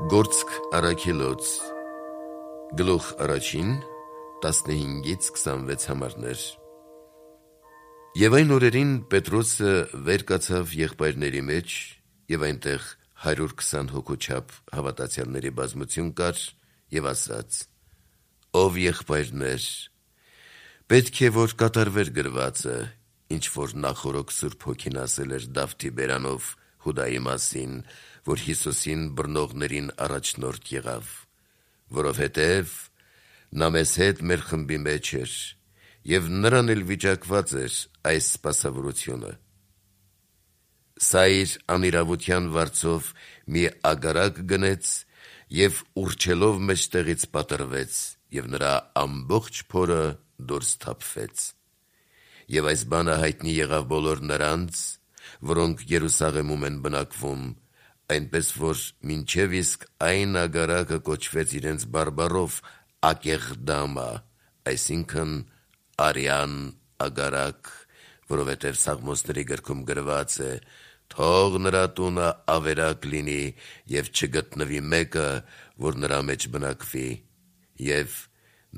Գործք առաքելոց Գլուխ առաջին 15-ից 26 համարներ Եվ այն օրերին Պետրոսը վեր կացավ եղբայրների մեջ և այնտեղ 120 հոգու չափ հավատացյալների բազմություն կար և ասաց. «Ով եղբայրներ, պետք է որ կատարվեր գրվածը, ինչ որ նախօրոք Սուրբ Հոգին ասել էր Դավթի բերանով Հուդայի մասին, որ Հիսուսին բռնողներին առաջնորդ եղավ, որովհետև նա մեզ հետ մեր խմբի մեջ էր, և նրան էլ վիճակված էր այս սպասավորությունը։ Սա իր անիրավության վարձով մի ագարակ գնեց և ուռչելով մեջտեղից պատռվեց, և նրա ամբողջ փորը դուրս թափվեց։ Եվ այս բանը հայտնի եղավ բոլոր նրանց, որոնք Երուսաղեմում են բնակվում, այնպես որ մինչև իսկ այն ագարակը կոչվեց իրենց բարբառով Ակեղդամա, այսինքն արյան ագարակ, որովհետև Սաղմոսների գրքում գրված է. «Թող նրա տունը ավերակ լինի և չգտնվի մեկը, որ նրա մեջ բնակվի, և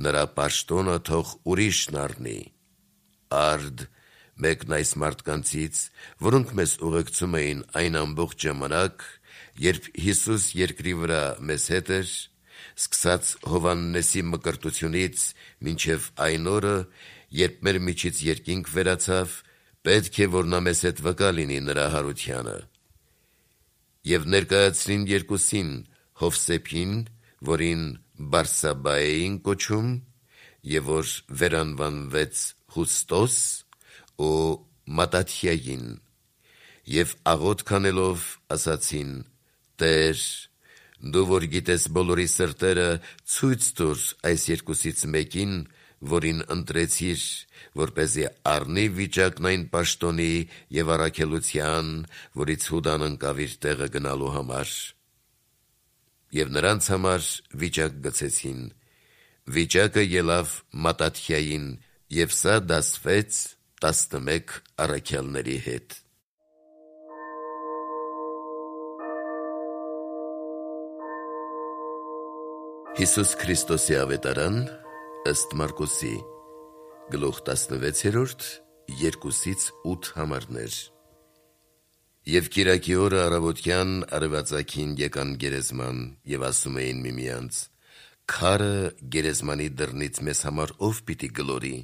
նրա պաշտոնը թող ուրիշն առնի»։ Արդ մեկն այս մարդկանցից, որոնք մեզ ուղեկցում էին այն ամբողջ ժամանակ, երբ Հիսուս երկրի վրա մեզ հետ էր, սկսած Հովհաննեսի մկրտությունից մինչև այն օրը, երբ մեր միջից երկինք վերացավ, պետք է որ նա մեզ հետ վկա լինի նրա հարությանը։ Եվ ներկայացրին երկուսին, Հովսեփին, որին Բարսաբբա էին կոչում, և որ վերանվանվեց Յուստոս, ու Մատաթիային, և աղոթք անելով ասացին. «Տեր, դու որ գիտես բոլորի սրտերը, ցույց տուր այս երկուսից մեկին, որին ընտրեցիր, որպեսզի առնի վիճակն այն պաշտոնի և առաքելության, որից Հուդան ընկավ իր տեղը գնալու համար»։ Եվ նրանց համար վիճակ գցեցին։ Վիճակը ելավ Մատաթիային, և սա դասվեց 11 առաքյալների հետ։ Հիսուս Քրիստոսի ավետարան ըստ Մարկոսի գլուխ 16, 2-8 համարներ։ Եվ կիրակի օրը առավոտյան արևածագին եկան գերեզման և ասում էին միմյանց. «Քարը գերեզմանի դռնից մեզ համար ով պիտի գլորի»։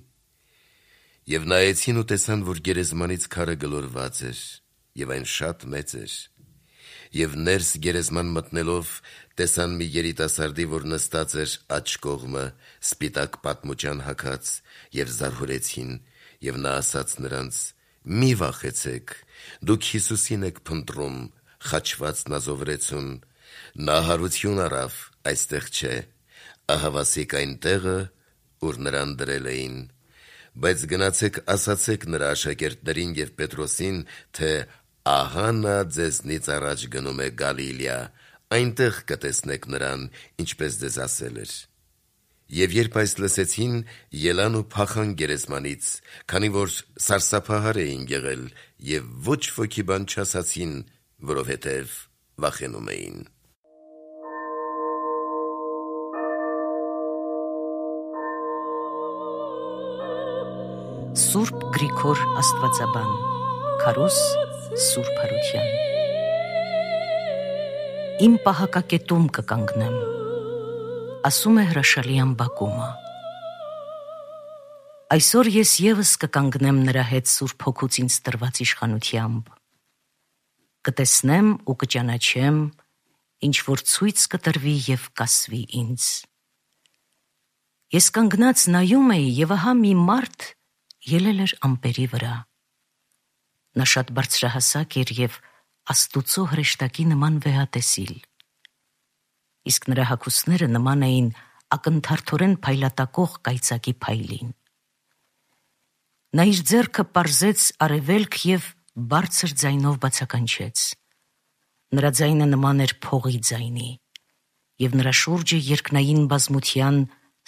Եվ նայեցին ու տեսան, որ գերեզմանից քարը գլորված էր, և այն շատ մեծ էր։ Եվ ներս գերեզման մտնելով տեսան մի երիտասարդի, որ նստած էր աջ կողմը, սպիտակ պատմուջան հագած, և զարհուրեցին, և նա ասաց նրանց. «Մի վախեցեք, դուք Հիսուսին եք փնտրում, խաչված նազովրեցուն, նա հարություն առավ, այստեղ չէ, ահավասիկ այն տեղը, ուր նրան դրել էին։ Բայց գնացեք ասացեք նրա աշակերտներին և Պետրոսին, թե ահա նա ձեզնից առաջ գնում է Գալիլեա, այնտեղ կտեսնեք նրան, ինչպես ձեզ ասել էր»։ Եվ երբ այս լսեցին, ելան ու փախան գերեզմանից, քանի որ սարսափահար էին եղել, և ոչ ոքի բան չասացին, որովհետև վախենում էին։ Սուրբ Գրիգոր Աստվածաբան Քարոզ Սուրբ Հարություն Իմ պահակակետում կկանգնեմ, ասում է հրաշալի ամբակումը։ Այսօր ես ևս կկանգնեմ նրա հետ Սուրբ Հոգուց ինձ տրված իշխանությամբ։ Կտեսնեմ ու կճանաչեմ, ինչ որ ցույց կտրվի և կասվի ինձ։ Ես կանգնած նայում էի, և ահա մի մարդ ելել էր ամպերի վրա։ Նա շատ բարձրահասակ էր և Աստուծո հրեշտակի նման վեհատեսիլ։ Իսկ նրա հագուստները նման էին ակնթարթորեն փայլատակող կայծակի փայլին։ Նա իր ձեռքը պարզեց արևելք և բարձր ձայնով բացականչեց։ Նրա ձայնը նման էր փողի ձայնի, և նրա շուրջը երկնային բազմության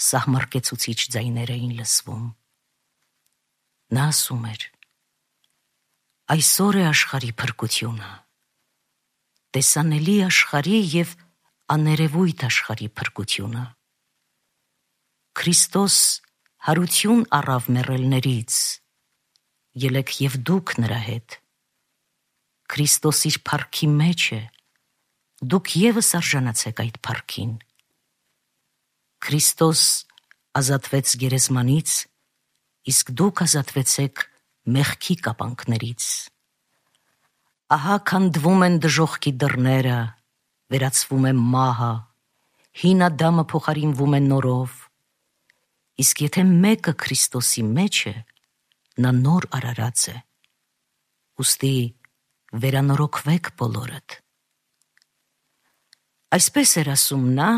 սահմռկեցուցիչ ձայներ էին լսվում։ Նա ասում էր. «Այսօր է աշխարհի փրկությունը, տեսանելի աշխարհի և աներևույթ աշխարհի փրկությունը։ Քրիստոս հարություն առավ մեռելներից, ելեք եւ դուք նրա հետ։ Քրիստոս իր փառքի մեջ է, դուք եւս արժանացեք այդ փառքին։ Քրիստոս ազատվեց գերեզմանից, իսկ դուք ազատվեցեք մեղքի կապանքներից։ Ահա քանդվում են դժոխքի դռները, վերացվում է մահը, հին Ադամը փոխարինվում է նորով, իսկ եթե մեկը Քրիստոսի մեջ է, նա նոր արարած է։ Ուստի վերանորոգվեք բոլորդ։ Այսպես էր ասում նա,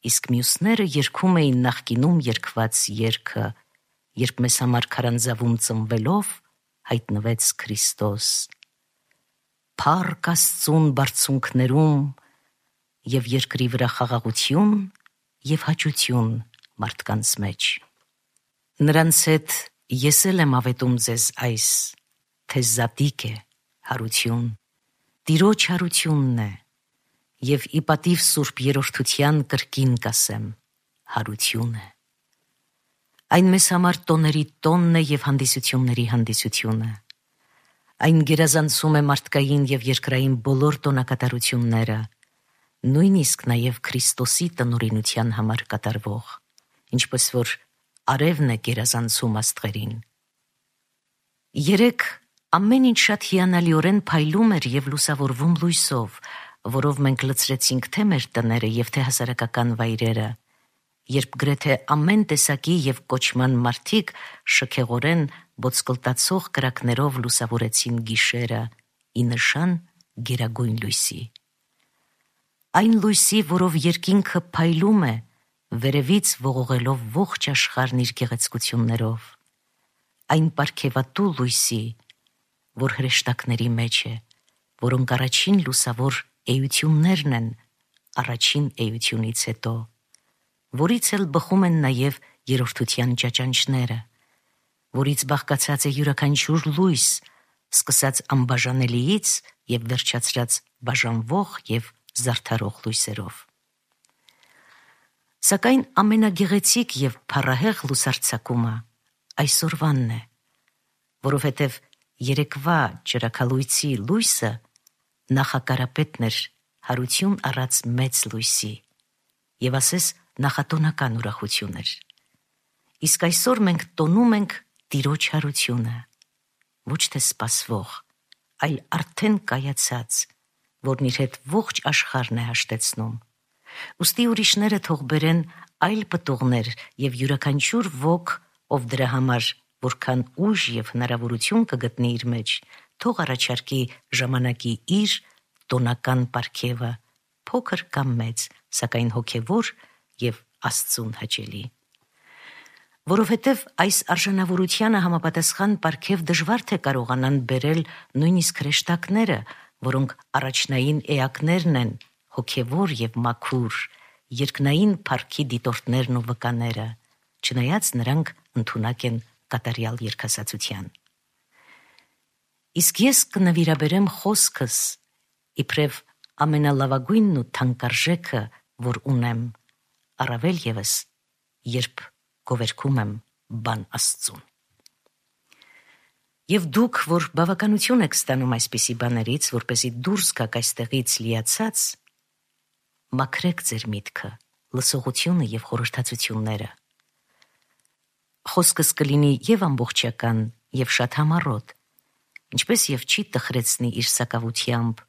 իսկ մյուսները երգում էին նախկինում երգված երգը, երբ մեզ համար քարանձավում ծնվելով հայտնվեց Քրիստոս։ Փառք Աստծուն բարձունքներում եւ երկրի վրա խաղաղություն եւ հաճություն մարդկանց մեջ։ Նրանց հետ ես էլ եմ ավետում ձեզ այս, թե զատիկ է հարություն, Տիրոջ հարությունն է, եւ ի պատիվ Սուրբ Երրորդության կրկին կասեմ, հարություն է։ Այն մեզ համար տոների տոնն է եւ հանդիսությունների հանդիսությունը։ Այն գերազանցում է մարդկային եւ երկրային բոլոր տոնակատարությունները, նույնիսկ նաեւ Քրիստոսի տնօրինության համար կատարվող, ինչպես որ արևն է գերազանցում աստղերին։ Երեք ամեն ինչ շատ հիանալիորեն փայլում էր եւ լուսավորվում լույսով, որով մենք լցրեցինք թե մեր տները եւ թե հասարակական վայրերը, երբ գրեթե ամեն տեսակի եւ կոչման մարդիկ շքեղորեն բոցկլտացող կրակներով լուսավորեցին գիշերը ի նշան գերագույն լույսի։ Այն լույսի, որով երկինքը փայլում է, վերևից ողողելով ողջ աշխարհն իր գեղեցկություններով, այն պարգևատու լույսի, որ հրեշտակների մեջ է, որոնք առաջին լուսավոր էություններն են առաջին էությունից հետո, որից էլ բխում են նաև երրորդության ճաճանճները, որից բաղկացած է յուրաքանչյուր լույս, սկսած անբաժանելիից եւ վերջացրած բաժանվող եւ զարդարող լույսերով։ Սակայն ամենագեղեցիկ եւ փառահեղ լուսարձակումը այսօրվանն է, որովհետեւ երեկվա ճրագալույցի լույսը նախակարապետն էր հարություն առած մեծ լույսի եւ ասես նախատոնական ուրախություն էր։ Իսկ այսօր մենք տոնում ենք Տիրոջ հարությունը, ոչ թե սպասվող, այլ արդեն կայացած, որն իր հետ ողջ աշխարհն է հաշտեցնում։ Ուստի ուրիշները թող բերեն այլ պտուղներ եւ յուրաքանչյուր ոք, ով դրա համար որքան ուժ եւ հնարավորություն կգտնի իր մեջ, թող առաջարկի ժամանակի իր տոնական պարգևը, փոքր կամ մեծ, սակայն հոգևոր եւ Աստծուն հաճելի։ Որովհետև այս արժանավորությանը համապատասխան պարգև դժվար թե կարողանան բերել նույնիսկ հրեշտակները, որոնք առաջնային էակներն են, հոգևոր եւ մաքուր, երկնային փառքի դիտորդներն ու վկաները, չնայած նրանք ընդունակ են կատարյալ երգասացության։ Իսկ ես կնվիրաբերեմ խոսքս իբրև ամենալավագույնն ու թանկարժեքը, որ ունեմ, առավել եւս, երբ գովերգում եմ բան Աստծուն։ Եվ դուք, որ բավականություն եք ստանում այսպիսի բաներից, որպեսզի դուրս գաք այստեղից լիացած, մաքրեք ձեր միտքը, լսողությունը եւ խորհրդածությունները։ Խոսքս կլինի եւ ամբողջական, եւ շատ համառոտ, ինչպես եւ չի տխրեցնի իր սակավությամբ,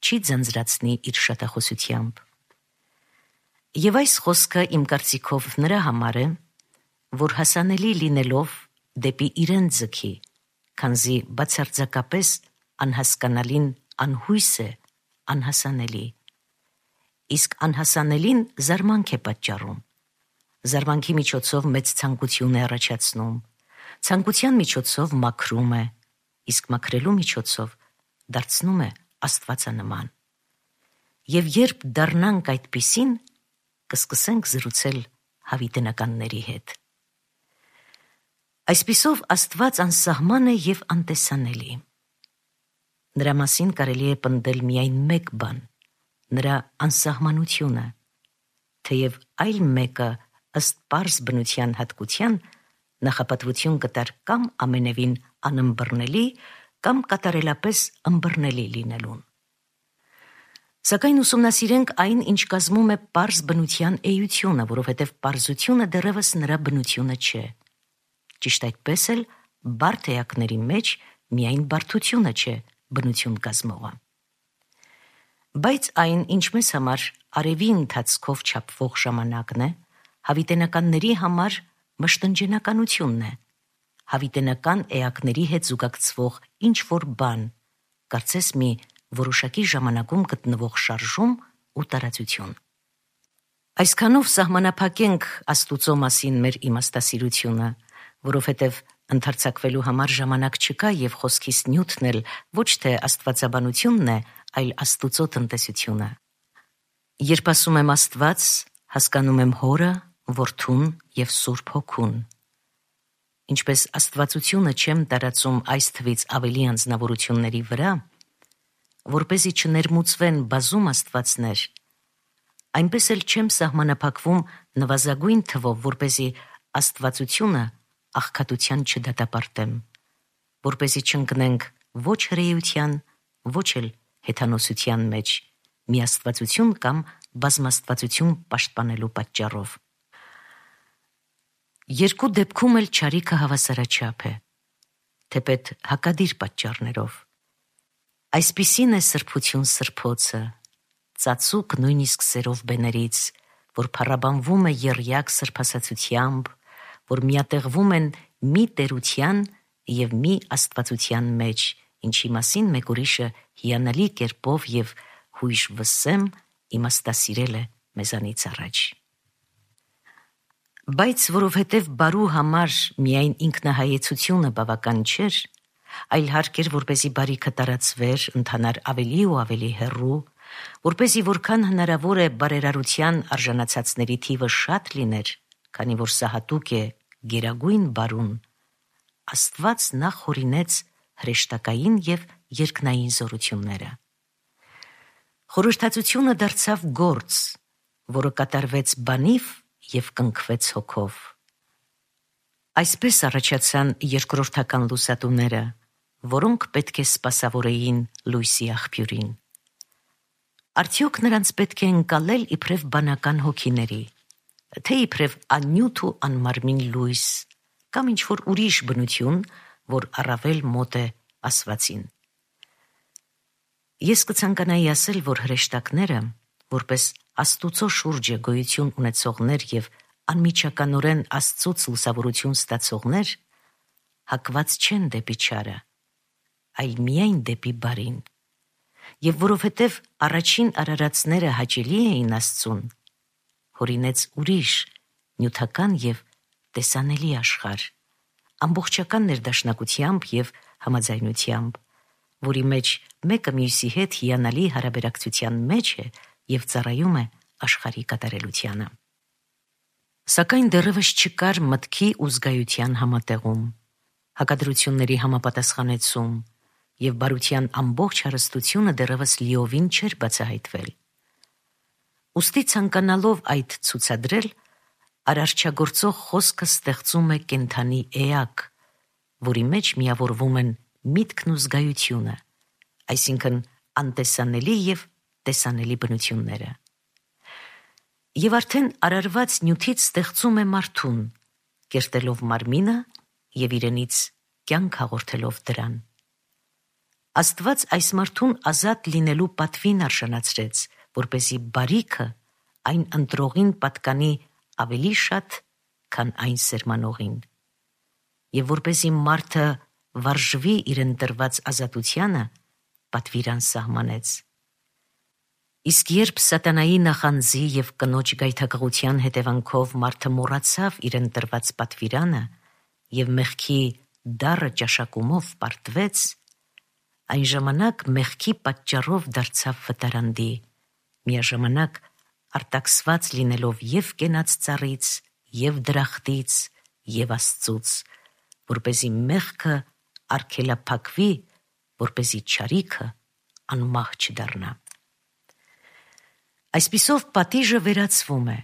չի ձանձրացնի իր շատախոսությամբ։ Եվ այս խոսքը իմ կարծիքով նրա համար է, որ հասանելի լինելով դեպի իրեն ձգի, քանզի բացարձակապես անհասկանալին անհույս է, անհասանելի, իսկ անհասանելին զարմանք է պատճառում, զարմանքի միջոցով մեծ ցանկություն է առաջացնում, ցանկության միջոցով մաքրում է, իսկ մաքրելու միջոցով դարձնում է աստվածանման։ Եվ երբ դառնանք այդպիսին, կսկսենք զրուցել հավիտենականների հետ։ Այսպիսով Աստված անսահման է եւ անտեսանելի։ Նրա մասին կարելի է պնդել միայն մեկ բան՝ նրա անսահմանությունը, թեև այլ մեկը ըստ պարզ բնության հատկության նախապատվություն կտար կամ ամենևին անըմբռնելի, կամ կատարելապես ըմբռնելի լինելուն։ Սակայն ուսումնասիրենք այն, ինչ կազմում է պարզ բնության էությունը, որովհետև պարզությունը դեռևս նրա բնությունը չէ։ Ճիշտ այդպես էլ բարդ էակների մեջ միայն բարդությունը չէ բնություն կազմողը։ Բայց այն, ինչ մեզ համար արևի ընթացքով չափվող ժամանակն է, հավիտենականների համար մշտնջենականությունն է, հավիտենական էակների հետ զուգակցվող ինչ-որ բան, կարծես մի որոշակի ժամանակում գտնվող շարժում ու տարածություն։ Այսքանով սահմանափակենք Աստուծո մասին մեր իմաստասիրությունը, որովհետև ընդարձակվելու համար ժամանակ չկա և խոսքիս նյութն էլ ոչ թե աստվածաբանությունն է, այլ Աստուծո տնտեսությունը։ Երբ ասում եմ Աստված, հասկանում եմ Հորը, Որդուն և Սուրբ Հոգուն։ Ինչպես աստվածությունը չեմ տարածում այս թվից ավելի անձնավորությունների վրա, որպեսզի չներմուծվեն բազում աստվածներ, այնպես էլ չեմ սահմանափակվում նվազագույն թվով, որպեսզի աստվածությունը աղքատության չդատապարտեմ, որպեսզի չընկնենք ոչ հրեության, ոչ էլ հեթանոսության մեջ, միաստվածություն կամ բազմաստվածություն պաշտպանելու պատճառով։ Երկու դեպքում էլ չարիքը հավասարաչափ է, թեպետ հակադիր պատճառներով։ Այսպիսին է սրբություն սրբոցը, ծածուկ նույնիսկ սերով բեներից, որ փառաբանվում է եռյակ սրբասացությամբ, որ միատեղվում են մի տերության և մի աստվածության մեջ, ինչի մասին մեկ ուրիշը հիանալի կերպով և հույժ վսեմ իմաստասիրել է մեզանից առաջ։ Բայց որովհետև բարու համար միայն ինքնահայեցությունը բավական չէր, այլ հարկ էր, որպեսզի բարիքը տարածվեր, ընթանար ավելի ու ավելի հեռու, որպեսզի որքան հնարավոր է բարերարության արժանացածների թիվը շատ լիներ, քանի որ սա հատուկ է գերագույն բարուն, Աստված նախ հորինեց հրեշտակային և երկնային զորությունները։ Խորհրդածությունը դարձավ գործ, որը կատարվեց բանիվ և կնքվեց հոգով։ Այսպես առաջացան երկրորդական լուսատուները, որոնք պետք է սպասավորեին լույսի աղբյուրին։ Արդյոք նրանց պետք է ընկալել իբրև բանական հոգիների, թե իբրև աննյութ ու անմարմին լույս, կամ ինչ-որ ուրիշ բնություն, որ առավել մոտ է ասվածին։ Ես կցանկանայի ասել, որ հրեշտակները, որպես Աստուծո շուրջը գոյություն ունեցողներ և անմիջականորեն Աստծուց լուսավորություն ստացողներ, հակված չեն դեպի չարը, այլ միայն դեպի բարին, և որովհետև առաջին արարածները հաճելի էին Աստծուն, հորինեց ուրիշ, նյութական և տեսանելի աշխարհ, ամբողջական ներդաշնակությամբ և համաձայնությամբ, որի մեջ մեկը մյուսի հետ հիանալի հարաբերակցության մեջ է և ծառայում է աշխարհի կատարելությանը։ Սակայն դեռևս չկար մտքի ու զգայության համատեղում, հակադրությունների համապատասխանեցում, և բարության ամբողջ հարստությունը դեռևս լիովին չէր բացահայտվել։ Ուստի ցանկանալով այդ ցուցադրել, արարչագործող խոսքը ստեղծում է կենդանի էակ, որի մեջ միավորվում են միտքն ու զգայությունը, այսինքն անտեսանելի և տեսանելի բնությունները։ Եվ արդեն արարված նյութից ստեղծում է մարդուն, կերտելով մարմինը և իրենից կյանք հաղորդելով դրան։ Աստված այս մարդուն ազատ լինելու պատվին արժանացրեց, որպեսզի բարիքը այն ընտրողին պատկանի ավելի շատ, քան այն սերմանողին, և որպեսզի մարդը վարժվի իրեն տրված ազատությանը, պատվիրան սահմանեց։ Իսկ երբ սատանայի նախանձի և կնոջ գայթակղության հետևանքով մարդը մոռացավ իրեն տրված պատվիրանը և մեղքի դառը ճաշակումով պարտվեց, այն ժամանակ մեղքի պատճառով դարձավ վտարանդի, միաժամանակ արտաքսված լինելով և կենաց ծառից, և դրախտից, և Աստծուց, որպեսզի մեղքը արգելափակվի, որպեսզի չարիքը անմահ չդառնա։ Այսպիսով պատիժը վերացվում է,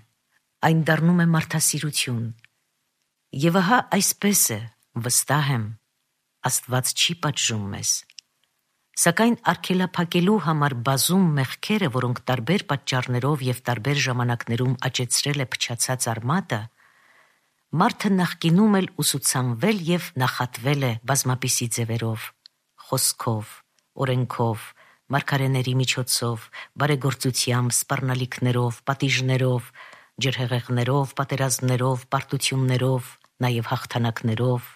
այն դառնում է մարդասիրություն։ Եվ ահա այսպես է, վստահ եմ, Աստված չի պատժում մեզ։ Սակայն արգելափակելու համար բազում մեղքերը, որոնք տարբեր պատճառներով և տարբեր ժամանակներում աճեցրել է փչացած արմատը, մարդը նախկինում էլ ուսուցանվել և նախատվել է բազմապիսի ձևերով, խոսքով, օրենքով, մարգարեների միջոցով, բարեգործությամբ, սպառնալիքներով, պատիժներով, ջրհեղեղներով, պատերազմներով, պարտություններով, նաև հաղթանակներով,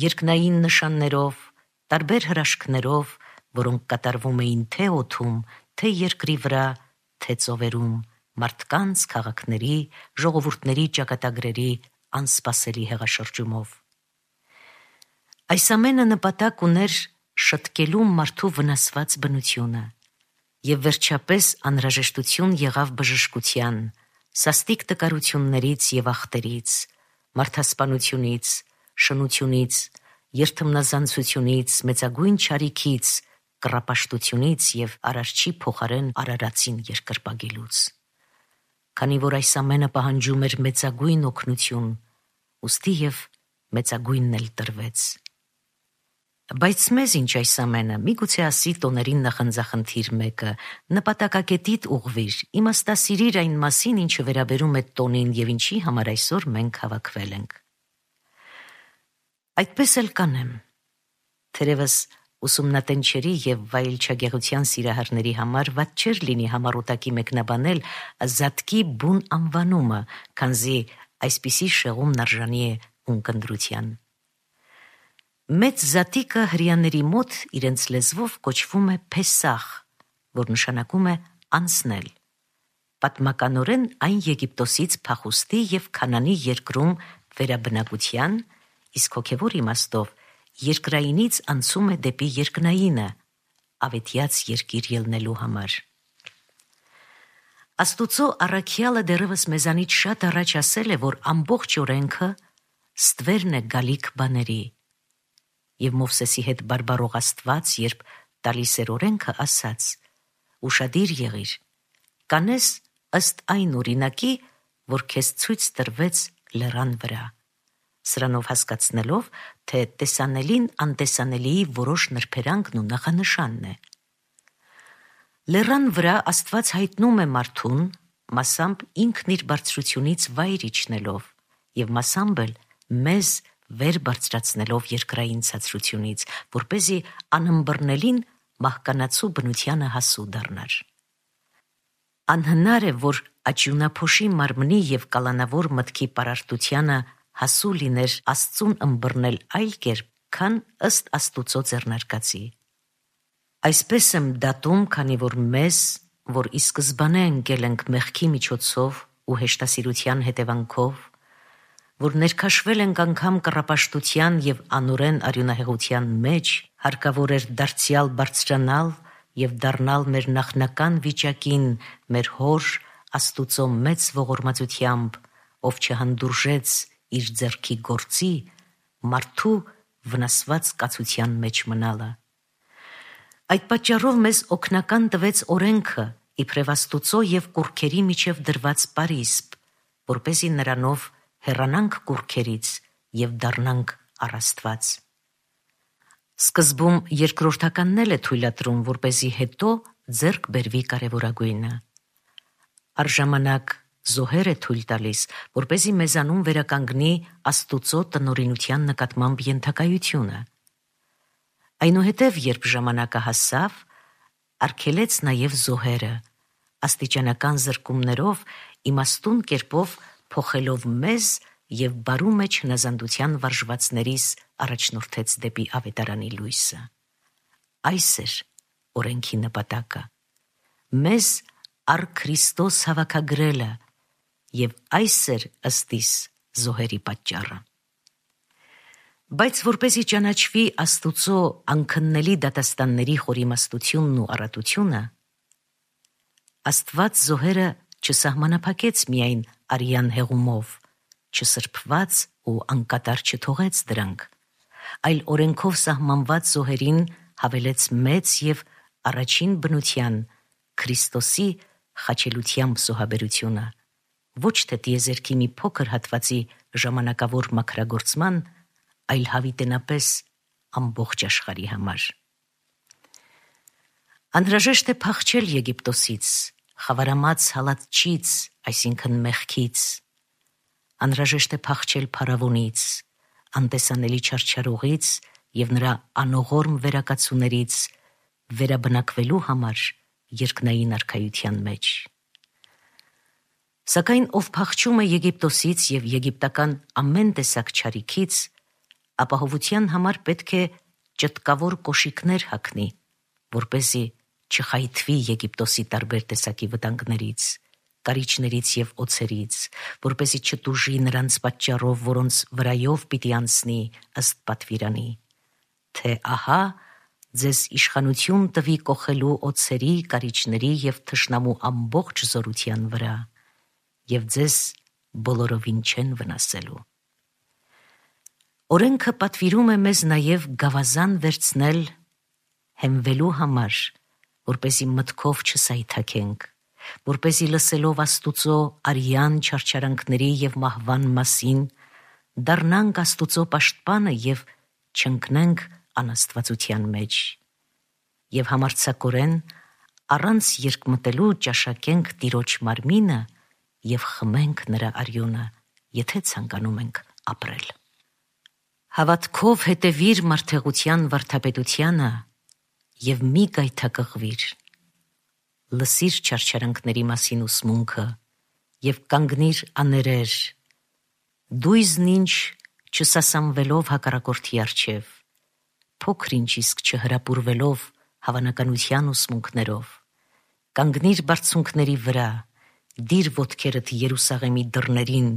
երկնային նշաններով, տարբեր հրաշքներով, որոնք կատարվում էին թե օդում, թե երկրի վրա, թե ծովերում, մարդկանց, քաղաքների, ժողովուրդների ճակատագրերի անսպասելի հեղաշրջումով։ Այս ամենը նպատակ ուներ շտկելու մարդու վնասված բնությունը, և վերջապես անհրաժեշտություն եղավ բժշկության, սաստիկ տկարություններից և ախտերից, մարդասպանությունից, շնությունից, երդմնազանցությունից, մեծագույն չարիքից, կռապաշտությունից և արարչի փոխարեն արարածին երկրպագելուց։ Քանի որ այս ամենը պահանջում էր մեծագույն օգնություն, ուստի և մեծագույնն էլ տրվեց։ Բայց մեզ ինչ այս ամենը, միգուցե ասի տոներին նախանձախնդիր մեկը, նպատակակետիդ ուղղվիր, իմաստասիրիր այն մասին, ինչը վերաբերում է տոնին և ինչի համար այսօր մենք հավաքվել ենք։ Այդպես էլ կանեմ, թերևս ուսումնատենչերի և վայելչագեղության սիրահարների համար վատ չէր լինի համառոտակի մեկնաբանել Զատկի բուն անվանումը, քանզի այսպիսի շեղումն արժանի է ունկնդրության։ Մեծ Զատիկը հրեաների մոտ իրենց լեզվով կոչվում է Փեսախ, որ նշանակում է անցնել։ Պատմականորեն այն Եգիպտոսից փախուստի և Քանանի երկրում վերաբնակության, իսկ հոգևոր իմաստով երկրայինից անցում է դեպի երկնայինը, ավետյաց երկիր ելնելու համար։ Աստուծո առաքյալը դեռևս մեզանից շատ առաջ ասել է, որ ամբողջ օրենքը ստվերն է գալիք բաների, և Մովսեսի հետ բարբարող Աստված, երբ տալիս էր օրենքը, ասաց. «Ուշադիր եղիր, կանես ըստ այն օրինակի, որ քեզ ցույց տրվեց լեռան վրա», սրանով հասկացնելով, թե տեսանելին անտեսանելիի որոշ նրբերանգն ու նախանշանն է։ Լեռան վրա Աստված հայտնում է մարդուն, մասամբ ինքն իր բարձրությունից վայր իջնելով և մասամբ էլ մեզ վեր բարձրացնելով երկրային ցածրությունից, որպեսզի անըմբռնելին մահկանացու բնությանը հասու դառնար։ Անհնար է, որ աճյունափոշի մարմնի և կալանավոր մտքի պարարտությանը հասու լիներ Աստծուն ըմբռնել այլ կերպ, քան ըստ Աստուծո ձեռնարկածի։ Այսպես եմ դատում, քանի որ մեզ, որ ի սկզբանե ընկել ենք մեղքի միջոցով ու հեշտասիրության հետևանքով, որ ներքաշվել ենք անգամ կռապաշտության և անօրեն արյունահեղության մեջ, հարկավոր էր դարձյալ բարձրանալ և դառնալ մեր նախնական վիճակին մեր Հոր Աստուծո մեծ ողորմածությամբ, ով չհանդուրժեց իր ձեռքի գործի, մարդու վնասված կացության մեջ մնալը։ Այդ պատճառով մեզ օգնական տվեց օրենքը, իբրև Աստուծո և կուռքերի միջև դրված պարիսպ, որպեսզի նրանով հեռանանք կուռքերից և դառնանք առ Աստված։ Սկզբում երկրորդականն էլ է թույլատրում, որպեսզի հետո ձեռք բերվի կարևորագույնը։ Առժամանակ զոհեր է թույլ տալիս, որպեսզի մեզանում վերականգնի Աստուծո տնօրինության նկատմամբ ենթակայությունը։ Այնուհետև, երբ ժամանակը հասավ, արգելեց նաև զոհերը, աստիճանական զրկումներով, իմաստուն կերպով փոխելով մեզ և բարու մեջ հնազանդության վարժվածներիս առաջնորդեց դեպի ավետարանի լույսը։ Այս էր օրենքի նպատակը՝ մեզ առ Քրիստոս հավաքագրելը, և այս էր ըստիս զոհերի պատճառը։ Բայց որպեսզի ճանաչվի Աստուծո անքննելի դատաստանների խորիմաստությունն ու առատությունը, Աստված զոհերը չսահմանափակեց միայն արյան հեղումով, չսրբված ու անկատար չթողեց դրանք, այլ օրենքով սահմանված զոհերին հավելեց մեծ և առաջին բնության Քրիստոսի խաչելությամբ զոհաբերությունը, ոչ թե տիեզերքի մի փոքր հատվածի ժամանակավոր մաքրագործման, այլ հավիտենապես ամբողջ աշխարհի համար։ Անհրաժեշտ է փախչել Եգիպտոսից, խավարամած հալածչից, այսինքն մեղքից։ Անհրաժեշտ է փախչել փարավոնից, անտեսանելի չարչարողից և նրա անողորմ վերակացուներից, վերաբնակվելու համար երկնային արքայության մեջ։ Սակայն ով փախչում է Եգիպտոսից և եգիպտական ամեն տեսակ չարիքից, ապահովության համար պետք է ճտկավոր կոշիկներ հագնի, որպեսզի չխայթվի Եգիպտոսի տարբեր տեսակի վտանգներից, կարիճներից և օձերից, որպեսզի չտուժի նրանց պատճառով, որոնց վրայով պիտի անցնի ըստ պատվիրանի, թե ահա ձեզ իշխանություն տվի կոխելու օձերի, կարիճների և թշնամու ամբողջ զորության վրա, և ձեզ բոլորովին չեն վնասելու։ Օրենքը պատվիրում է մեզ նաև գավազան վերցնել հենվելու համար, որպեսզի մտքով չսայթաքենք, որպեսզի լսելով Աստուծո արյան չարչարանքների և մահվան մասին, դառնանք Աստուծո պաշտպանը և չընկնենք անաստվածության մեջ, և համարձակորեն առանց երկմտելու ճաշակենք Տիրոջ մարմինը և խմենք նրա արյունը, եթե ցանկանում ենք ապրել։ Հավատքով հետևիր մարդեղության վարդապետությանը և մի գայթակղվիր։ Լսիր չարչարանքների մասին ուսմունքը և կանգնիր աներեր, դույզն ինչ չսասանվելով հակառակորդի առջև, փոքր-ինչ իսկ չհրապուրվելով հավանականության ուսմունքներով, կանգնիր բարձունքների վրա, դիր ոտքերդ Երուսաղեմի դռներին,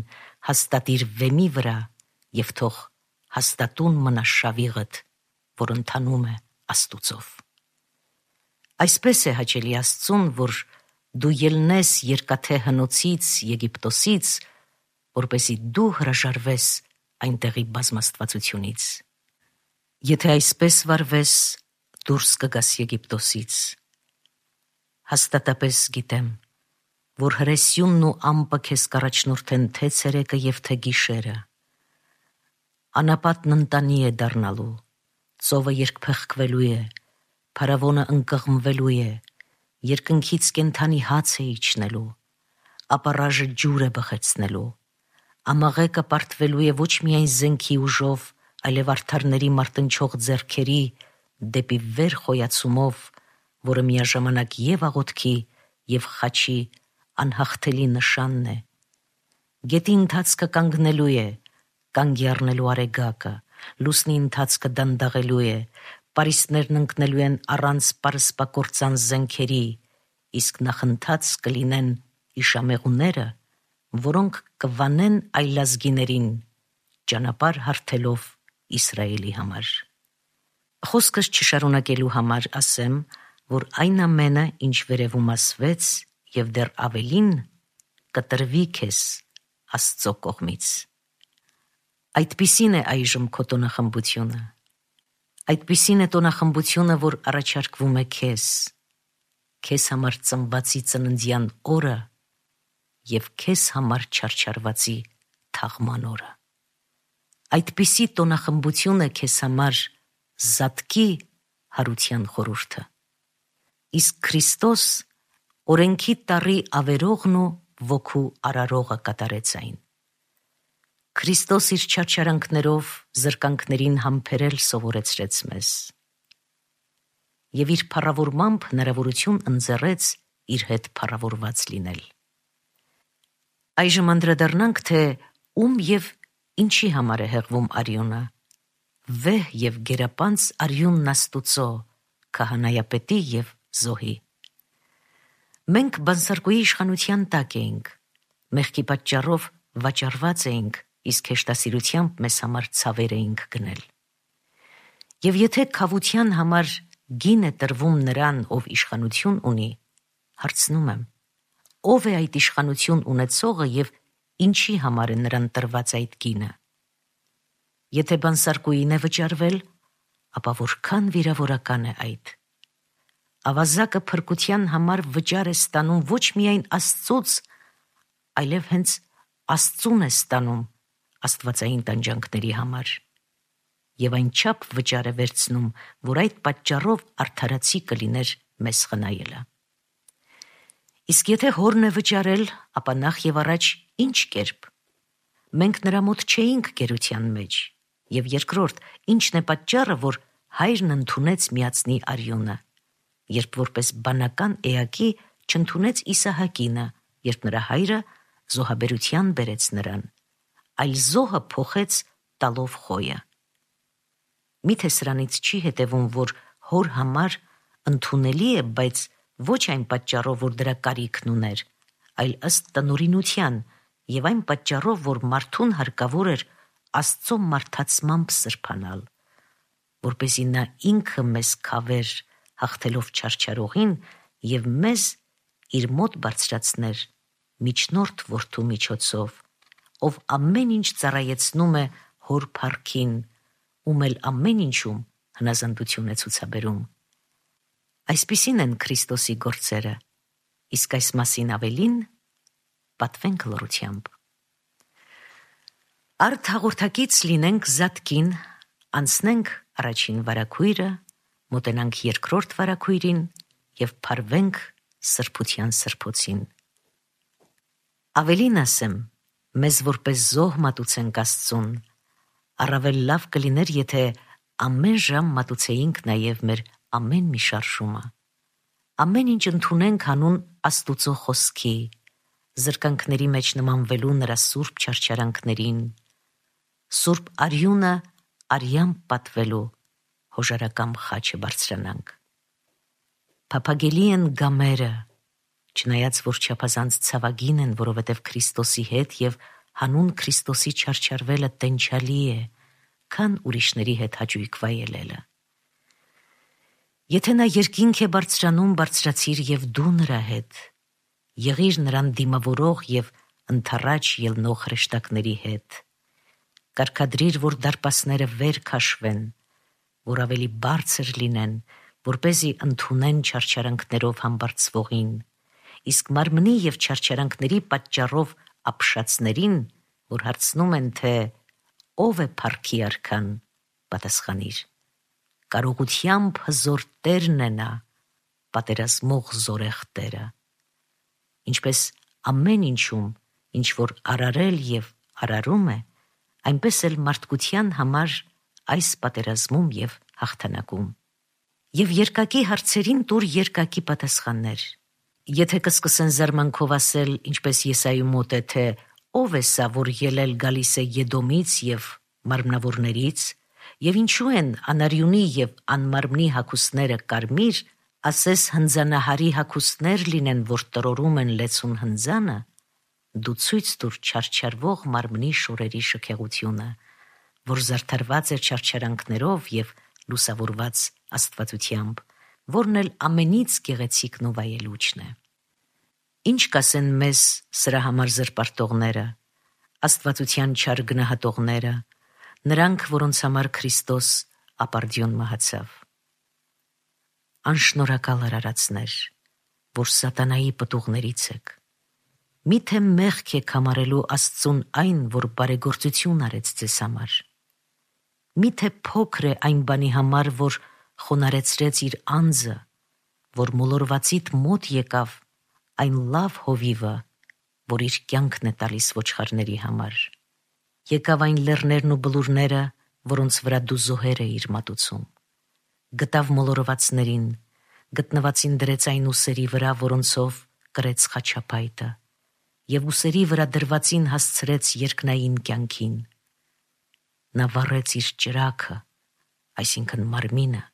հաստատիր վեմի վրա և թող հաստատուն մնա շավիղդ, որ ընթանում է Աստուծով։ Այսպես է հաճելի Աստծուն, որ դու ելնես երկաթե հնոցից Եգիպտոսից, որպեսզի դու հրաժարվես այնտեղի բազմաստվածությունից։ Եթե այսպես վարվես, դուրս կգաս Եգիպտոսից։ Հաստատապես գիտեմ, որ հրեսյունն ու ամպը քեզ կառաջնորդեն թե ցերեկը և թե գիշերը։ Անապատն ընտանի է դառնալու, ծովը երկփեղկվելու է, փարավոնը ընկղմվելու է, երկնքից կենդանի հաց է իջնելու, ապառաժը ջուր է բխեցնելու, ամաղեկը պարտվելու է ոչ միայն զենքի ուժով, այլև արդարների մարտնչող ձեռքերի դեպի վեր խոյացումով, որը միաժամանակ և աղոթքի և խաչի անհաղթելի նշանն է։ Գետի ընթացքը կանգնելու է, կանգի առնելու արեգակը, լուսնի ընթացքը դանդաղելու է, պարիսպներն ընկնելու են առանց պարսպակործան զենքերի, իսկ նախընթաց կլինեն իշամեղուները, որոնք կվանեն այլազգիներին, ճանապարհ հարթելով Իսրայելի համար։ Խոսքս չշարունակելու համար ասեմ, որ այն ամենը, ինչ վերևում ասվեց, և դեռ ավելին, կտրվի քեզ Աստծո կողմից։ Այդպիսին է այժմ քո տոնախմբությունը։ Այդպիսին է տոնախմբությունը, որ առաջարկվում է քեզ համար ծնվածի ծննդյան օրը և քեզ համար չարչարվածի թաղման օրը։ Այդպիսի տոնախմբություն է քեզ համար զատկի հարության խորհուրդը։ Իսկ Քրիստոս օրենքի տառի ավերողն ու ոգու արարողը կատարեց այն։ Քրիստոս իր չարչարանքներով զրկանքներին համբերել սովորեցրեց մեզ և իր փառավորմամբ հնարավորություն ընձեռեց իր հետ փառավորված լինել։ Այժմ անդրադառնանք, թե ում և ինչի համար է հեղվում արյունը։ Վեհ և գերապանծ արյունն Աստուծո, քահանայապետի և զոհի։ Մենք բանսարկուի իշխանության տակ էինք, մեղքի պատճառով վաճառված էինք, իսկ հեշտասիրությամբ մեզ համար ցավեր էինք գնել։ Եվ եթե քավության համար գին է տրվում նրան, ով իշխանություն ունի, հարցնում եմ, ով է այդ իշխանություն ունեցողը և ինչի համար է նրան տրված այդ գինը։ Եթե բանսարկուին է վճարվել, ապա որքան վիրավորական է այդ։ Ավազակը փրկության համար վճար է ստանում ոչ միայն Աստծուց, այլև հենց Աստծուն է ստանում աստվածային տանջանքների համար։ Եվ այնչափ վճար է վերցնում, որ այդ պատճառով արդարացի կլիներ մեզ խնայելը։ Իսկ եթե հորն է վճարել, ապա նախ եւ առաջ ինչ կերպ։ Մենք նրա մոտ չէինք գերության մեջ, եւ երկրորդ, ինչն է պատճառը, որ հայրն ընդունեց միածնի արյունը, երբ որպես բանական էակի չընդունեց Իսահակինը, երբ նրա հայրը զոհաբերության բերեց նրան, այլ զոհը փոխեց տալով խոյը։ Միթե սրանից չի հետևում, որ հոր համար ընդունելի է, բայց ոչ այն պատճառով, որ դրա կարիքն ուներ, այլ ըստ տնօրինության եւ այն պատճառով, որ մարդուն հարկավոր էր Աստծո մարդացմամբ սրբանալ, որպեսզի նա ինքը մեզ քավեր հաղթելով չարչարողին եւ մեզ իր մոտ բարձրացներ միջնորդ որդու միջոցով, ով ամեն ինչ ծառայեցնում է հոր փառքին, ում էլ ամեն ինչում հնազանդություն է ցուցաբերում։ Այսպիսին են Քրիստոսի գործերը, իսկ այս մասին ավելին պատվենք լռությամբ։ Արդ հաղորդակից լինենք զատկին, անցնենք առաջին վարագույրը, մոտենանք երկրորդ վարագույրին եւ փարվենք սրբության սրբոցին։ Ավելին ասեմ, մեզ որպես զոհ մատուցենք Աստծուն, առավել լավ կլիներ, եթե ամեն ժամ մատուցեինք նաև մեր ամեն մի շարժումը։ Ամեն ինչ ընդունենք հանուն Աստուծո խոսքի, զրկանքների մեջ նմանվելու նրա սուրբ չարչարանքներին, սուրբ արյունը արյամբ պատվելու հոժարակամ խաչը բարձրանանք։ Փափագելի են գամերը, չնայած որ չափազանց ցավագին են, որովհետև Քրիստոսի հետ եւ հանուն Քրիստոսի չարչարվելը տենչալի է, քան ուրիշների հետ հաճույք վայելելը։ Եթե նա երկինք է բարձրանում, բարձրացիր եւ դու նրա հետ, եղիր նրան դիմավորող եւ ընթառաջ ելնող հրեշտակների հետ, կարգադրիր, որ դարպասները վեր քաշվեն, որ ավելի բարձր լինեն, որպեսզի ընդունեն չարչարանքներով համբարձվողին, իսկ մարմնի եւ չարչարանքների պատճառով ապշածներին, որ հարցնում են, թե ով է փառքի արքան, պատասխանիր. կարողությամբ հզոր Տերն է նա, պատերազմող զորեղ Տերը։ Ինչպես ամեն ինչում, ինչ որ արարել եւ արարում է, այնպես էլ մարդկության համար այս պատերազմում եւ հաղթանակում։ Եվ երկակի հարցերին տուր երկակի պատասխաններ։ Եթե կսկսեն զարմանքով ասել, ինչպես Եսայի մոտ է, թե ով է սա, որ ելել գալիս է Եդոմից եւ մարմնավորներից, եւ ինչու են անարյունի եւ անմարմնի հագուստները կարմիր, ասես հնձանահարի հագուստներ լինեն, որ տրորում են լեցուն հնձանը, դու ցույց տուր չարչարվող մարմնի շորերի շքեղությունը, որ զարդարված է չարչարանքներով եւ լուսավորված աստվածությամբ, որն էլ ամենից գեղեցիկն ու վայելուչն է։ Ինչ կասեն մեզ սրա համար զրպարտողները, աստվածության չար գնահատողները, նրանք, որոնց համար Քրիստոս ապարդյուն մահացավ։ Անշնորհակալ արարածներ, որ սատանայի պտուղներից եք, միթե մեղք եք համարելու Աստծուն այն, որ բարեգործություն արեց ձեզ համար։ Միթե փոքր է այն բանի համար, որ խոնարեցրեց իր անձը, որ մոլորվածիդ մոտ եկավ այն լավ հովիվը, որ իր կյանքն է տալիս ոչխարների համար։ Եկավ այն լեռներն ու բլուրները, որոնց վրա դու զոհեր էիր մատուցում։ Գտավ մոլորվածներին, գտնվածին դրեց այն ուսերի վրա, որոնցով կրեց խաչապայտը, եւ ուսերի վրա դրվածին հասցրեց երկնային կյանքին։ Նա վառեց իր ճրագը, այսինքն մարմինը,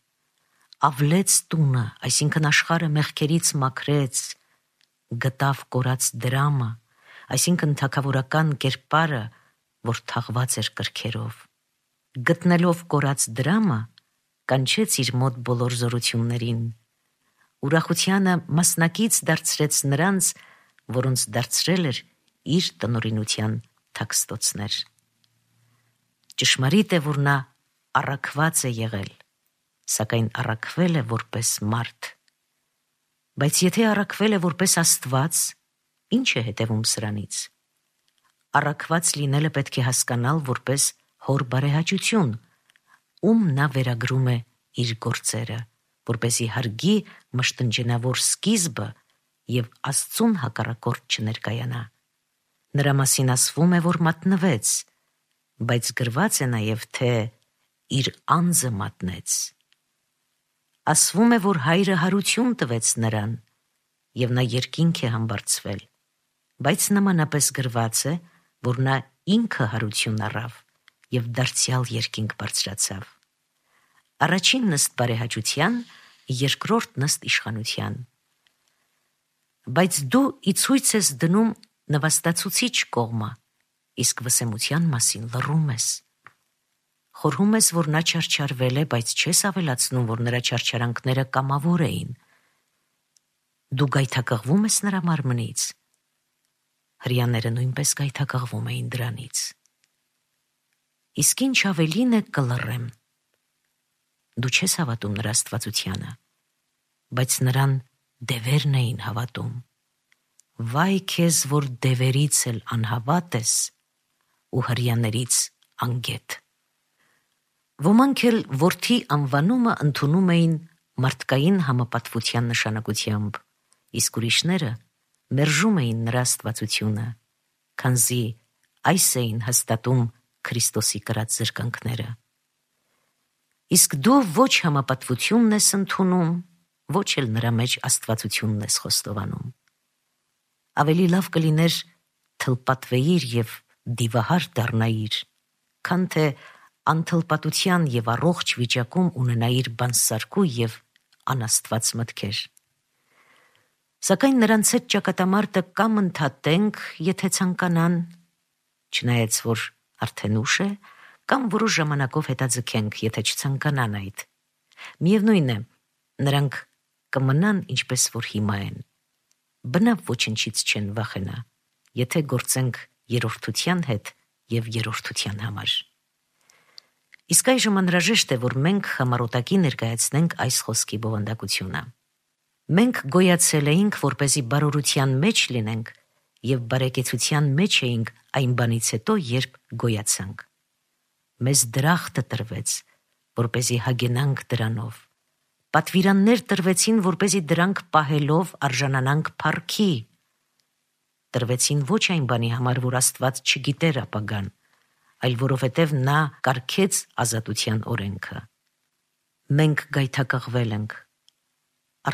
ավլեց տունը, այսինքն աշխարհը մեղքերից մաքրեց, գտավ կորած դրամը, այսինքն թագավորական կերպարը, որ թաղված էր կրքերով։ Գտնելով կորած դրամը, կանչեց իր մոտ բոլոր զորություններին, ուրախությանը մասնակից դարձրեց նրանց, որոնց դարձրել էր իր տնօրինության թաքստոցներ։ Ճշմարիտ է, որ նա առաքված է եղել, սակայն առաքվել է որպես մարդ։ Բայց եթե առաքվել է որպես Աստված, ինչ է հետևում սրանից։ առաքված լինելը պետք է հասկանալ որպես հոր բարեհաճություն, ում նա վերագրում է իր գործերը, որպեսզի հարգի մշտնջենավոր սկիզբը և Աստծուն հակառակորդ չներկայանա։ Նրա մասին ասվում է, որ մատնվեց, բայց գրված է նաև, թե իր անձը մատնեց։ Ասվում է, որ հայրը հարություն տվեց նրան, և նա երկինք է համբարձվել, բայց նմանապես գրված է, որ նա ինքը հարություն առավ և դարձյալ երկինք բարձրացավ։ Առաջին նստ բարեհաճության, երկրորդ նստ իշխանության։ Բայց դու ի ցույց ես դնում նվաստացուցիչ կողմը, իսկ վսեմության մասին լռում ես։ Խորհում ես, որ նա չարչարվել է, բայց չես ավելացնում, որ նրա չարչարանքները կամավոր էին։ Դու գայթակղվում ես նրա մարմնից։ Հրեաները նույնպես գայթակղվում էին դրանից։ Իսկ ինչ ավելին է կլռեմ։ Դու չես հավատում նրա աստվածությանը, բայց նրան դևերն էին հավատում։ Վայ քեզ, որ դևերից էլ անհավատ ես ու հրեաներից անգետ։ Ոմանք էլ որդի անվանումը ընդունում էին մարդկային համապատվության նշանակությամբ, իսկ ուրիշները մերժում էին նրա աստվածությունը, քանզի այս էին հաստատում Քրիստոսի կրած զրկանքները։ Իսկ դու ոչ համապատվությունն ես ընդունում, ոչ էլ նրա մեջ աստվածությունն ես խոստովանում։ Ավելի լավ կլիներ թլպատվեիր և դիվահար դառնայիր, քան թե անթլպատության և առողջ վիճակում ունենայիր բանսարկու և անաստված մտքեր։ Սակայն նրանց հետ ճակատամարտը կամ ընդհատենք, եթե ցանկանան, չնայած որ արդեն ուշ է, կամ որոշ ժամանակով հետաձգենք, եթե չցանկանան այդ։ Միևնույն է, նրանք կմնան ինչպես որ հիմա են։ Բնավ ոչնչից չեն վախենա, եթե գործենք երրորդության հետ և երրորդության համար։ Իսկ այժմ անհրաժեշտ է, որ մենք համառոտակի ներկայացնենք այս խոսքի բովանդակությունը։ Մենք գոյացել էինք, որպեսզի բարօրության մեջ լինենք, և բարեկեցության մեջ էինք այն բանից հետո, երբ գոյացանք։ Մեզ դրախտը տրվեց, որպեսզի հագենանք դրանով։ Պատվիրաններ տրվեցին, որպեսզի դրանք պահելով արժանանանք փառքի։ Տրվեցին ոչ այն բանի համար, որ Աստված չգիտեր ապագան, այլ որովհետև նա կարգեց ազատության օրենքը։ Մենք գայթակղվել ենք,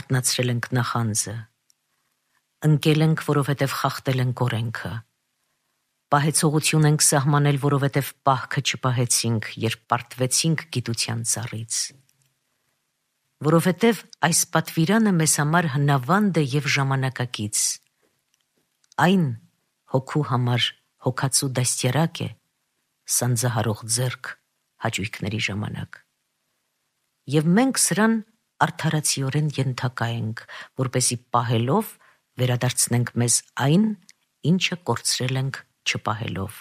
արթնացրել ենք նախանձը, ընկել ենք, որովհետև խախտել ենք օրենքը, պահեցողություն ենք սահմանել, որովհետև պահքը չպահեցինք, երբ պարտվեցինք գիտության ծառից։ Որովհետև այս պատվիրանը մեզ համար հնավանդ է և ժամանակակից։ Այն հոգու համար հոգացու դաստիարակ է, սանձահարող ձեռք հաճույքների ժամանակ։ Եվ մենք սրան արդարացիորեն ենթակա ենք, որպեսզի պահելով վերադարձնենք մեզ այն, ինչը կորցրել ենք չպահելով։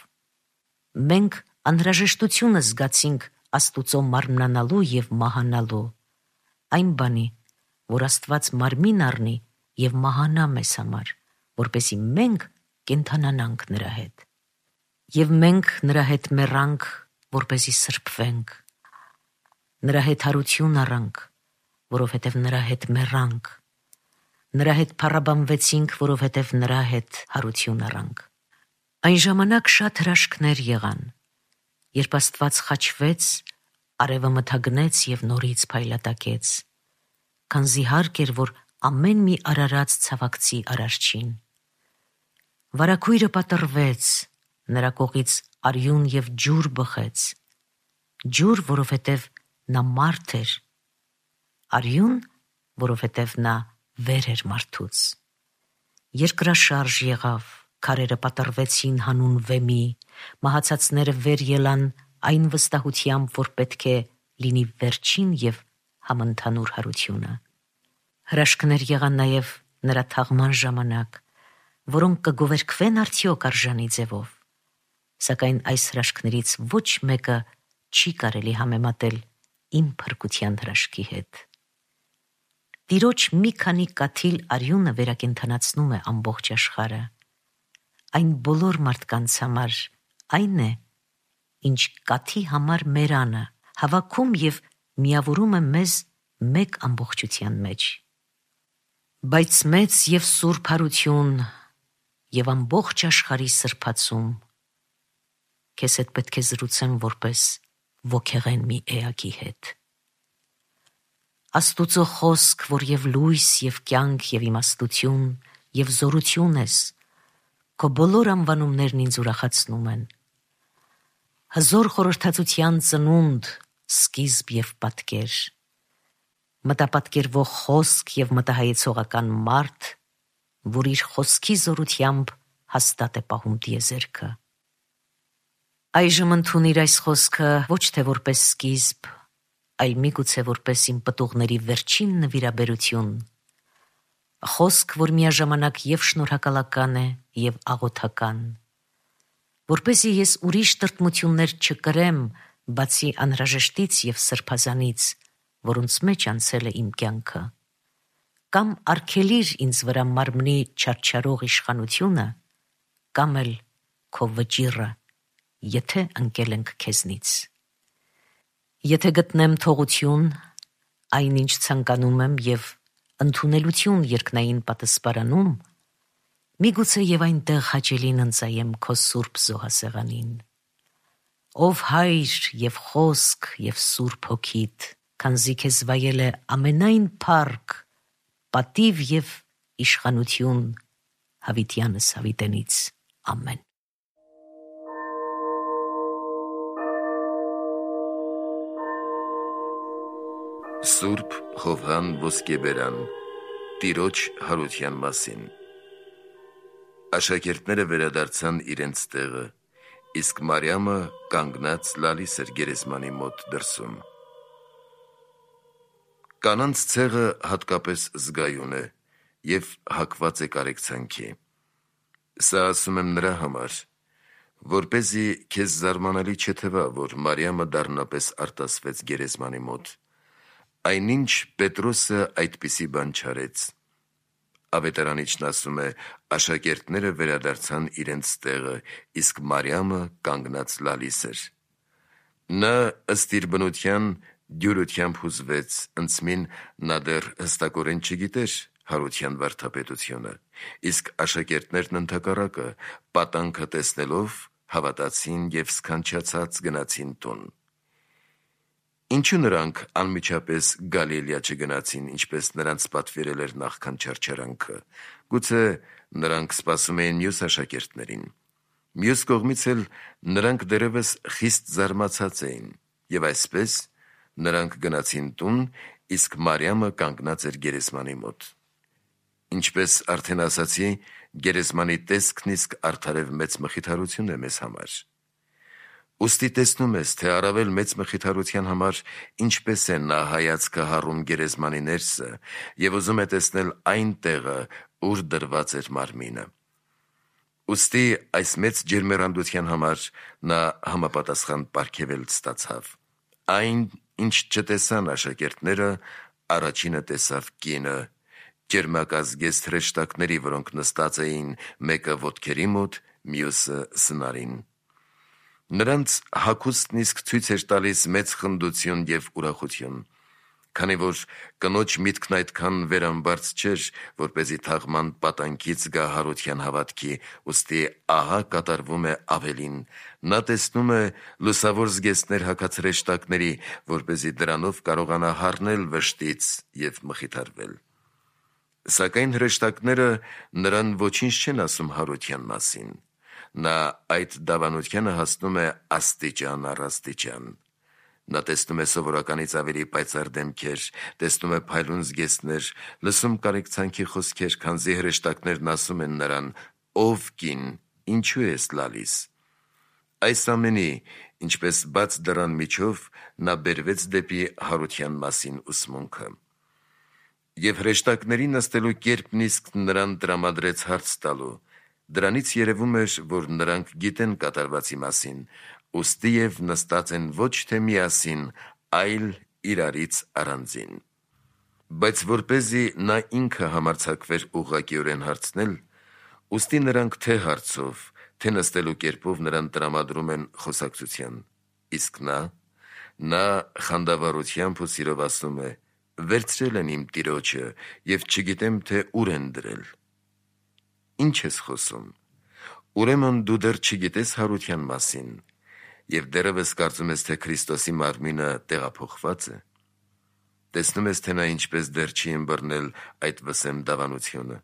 Մենք անհրաժեշտությունը զգացինք Աստուծո մարմնանալու և մահանալու, այն բանի, որ Աստված մարմին առնի և մահանա մեզ համար, որպեսզի մենք կենդանանանք նրա հետ։ Եվ մենք նրա հետ մեռանք, որպեսզի սրբվենք, նրա հետ հարություն առանք, որովհետև նրա հետ մեռանք, նրա հետ փառաբանվեցինք, որովհետև նրա հետ հարություն առանք։ Այն ժամանակ շատ հրաշքներ եղան, երբ Աստված խաչվեց, արևը մթագնեց և նորից փայլատակեց, քանզի հարկ էր, որ ամեն մի արարած ցավակցի Արարչին։ Վարագույրը պատռվեց, նրա կողից արյուն և ջուր բխեց, ջուր, որովհետև նա մարդ էր, արյուն, որովհետև նա վեր էր մարդուց։ Երկրաշարժ եղավ, քարերը պատռվեցին հանուն վեմի, մահացածները վեր ելան այն վստահությամբ, որ պետք է լինի վերջին և համընդհանուր հարությունը։ Հրաշքներ եղան նաև նրա թաղման ժամանակ, որոնք կգովերգվեն արդյոք արժանի ձևով, սակայն այս հրաշքներից ոչ մեկը չի կարելի համեմատել իմ փրկության հրաշքի հետ։ Տիրոջ մի քանի կաթիլ արյունը վերակենդանացնում է ամբողջ աշխարհը։ այն բոլոր մարդկանց համար այն է, ինչ կաթի համար մերանը հավաքում և միավորում է մեզ մեկ ամբողջության մեջ։ Բայց մեծ և սուրբ հարություն և ամբողջ աշխարհի սրբացում քեզ հետ պետք է զրուցեմ որպես ոգեղեն մի էակի հետ։ Աստուծո խոսք, որ և լույս, և կյանք, և իմաստություն, և զորություն ես, քո բոլոր անվանումներն ինձ ուրախացնում են։ Հզոր խորհրդածության ծնունդ, սկիզբ և պատկեր, մտապատկերվող խոսք և մտահայեցողական մարդ, որ իր խոսքի զորությամբ հաստատ է պահում տիեզերքը։ Այժմ ընդունիր այս խոսքը ոչ թե որպես սկիզբ, այլ միգուցե որպես իմ պտուղների վերջին նվիրաբերություն, խոսք, որ միաժամանակ և շնորհակալական է, և աղոթական, որպեսզի ես ուրիշ տրտմություններ չկրեմ, բացի անհրաժեշտից և սրբազանից, որոնց մեջ անցել է իմ կյանքը, կամ արգելիր ինձ վրա մարմնի չարչարող իշխանությունը, կամ էլ քո վճիռը, եթե ընկել ենք քեզնից։ Եթե գտնեմ թողություն, այն ինչ ցանկանում եմ և ընդունելություն երկնային պատսպարանում, միգուցե և այնտեղ հաճելին ընծայեմ քո սուրբ զոհասեղանին։ Ով Հայր և Խոսք և Սուրբ Հոգիդ, քանզի քեզ վայել է ամենայն փառք, պատիվ և իշխանություն հավիտյանս հավիտենից։ Ամեն։ Սուրբ Հովհան Ոսկեբերան Տիրոջ հարության մասին։ Աշակերտները վերադարձան իրենց տեղը, իսկ Մարիամը կանգնած լալիս էր գերեզմանի մոտ դրսում։ Կանանց ցեղը հատկապես զգայուն է և հակված է կարեկցանքի։ Սա ասում եմ նրա համար, որպեսզի քեզ զարմանալի չթվա, որ Մարիամը դառնապես արտասվեց գերեզմանի մոտ, այնինչ Պետրոսը այդպիսի բան չարեց։ Ավետարանիչն ասում է. աշակերտները վերադարձան իրենց տեղը, իսկ Մարիամը կանգնած լալիս էր։ Նա ըստ իր բնության դյուրությամբ հուզվեց, ընծմին նա դեռ հստակորեն չգիտեր հարության վարդապետությունը, իսկ աշակերտներն ընդհակառակը, պատանքը տեսնելով, հավատացին և սքանչացած գնացին տուն։ Ինչու նրանք անմիջապես Գալիլեա չգնացին, ինչպես նրանց պատվիրել էր նախքան չարչարանքը։ Գուցե նրանք սպասում էին մյուս աշակերտներին։ Մյուս կողմից էլ նրանք դեռևս խիստ զարմացած էին, և այսպես նրանք գնացին տուն, իսկ Մարիամը կանգնած էր գերեզմանի մոտ։ Ինչպես արդեն ասացի, գերեզմանի տեսքն իսկ արդարև մեծ մխիթարություն է մեզ համար։ Ուստի տեսնում ես, թե առավել մեծ մխիթարության համար ինչպես է նա հայացքը հառում գերեզմանի ներսը և ուզում է տեսնել այն տեղը, ուր դրված էր մարմինը։ Ուստի այս մեծ ջերմեռանդության համար նա համապատասխան պարգևել ստացավ։ Այն, ինչ չտեսան աշակերտները, առաջինը տեսավ կինը, ճերմակազգեստ հրեշտակների, որոնք նստած էին մեկը ոտքերի մոտ, մյուսը սնարին։ Նրանց հագուստն իսկ ցույց էր տալիս մեծ խնդություն և ուրախություն, քանի որ կնոջ միտքն այդքան վերամբարձ չէր, որպեսզի թաղման պատանքից գա հարության հավատքի, ուստի ահա կատարվում է ավելին. նա տեսնում է լուսավոր զգեստներ հագած հրեշտակների, որպեսզի դրանով կարողանա հառնել վշտից և մխիթարվել։ Սակայն հրեշտակները նրան ոչինչ չեն ասում հարության մասին։ Նա այդ դավանությանը հասնում է աստիճան առ աստիճան։ Նա տեսնում է սովորականից ավելի պայծառ դեմքեր, տեսնում է փայլուն զգեստներ, լսում կարեկցանքի խոսքեր, քանզի հրեշտակներն ասում են նրան. «Ով կին, ինչու ես լալիս»։ Այս ամենի, ինչպես բաց դռան միջով, նա բերվեց դեպի հարության մասին ուսմունքը։ Եվ հրեշտակների նստելու կերպն իսկ նրան տրամադրեց հարց տալու։ Դրանից երևում էր, որ նրանք գիտեն կատարվածի մասին, ուստի և նստած են ոչ թե միասին, այլ իրարից առանձին։ Բայց որպեսզի նա ինքը համարձակվեր ուղղակիորեն հարցնել, Ուստի նրանք թե հարցով, թե նստելու կերպով նրան տրամադրում են խոսակցության, իսկ նա խանդավառությամբ ու սիրով ասում է. «Վերցրել են իմ տիրոջը և չգիտեմ, թե ուր են դրել»։ Ինչ ես խոսում, ուրեմն դու դեռ չգիտես հարության մասին և դեռևս կարծում ես, թե Քրիստոսի մարմինը տեղափոխված է։ Տեսնում ես, թե նա ինչպես դեռ չի ըմբռնել այդ վսեմ դավանությունը։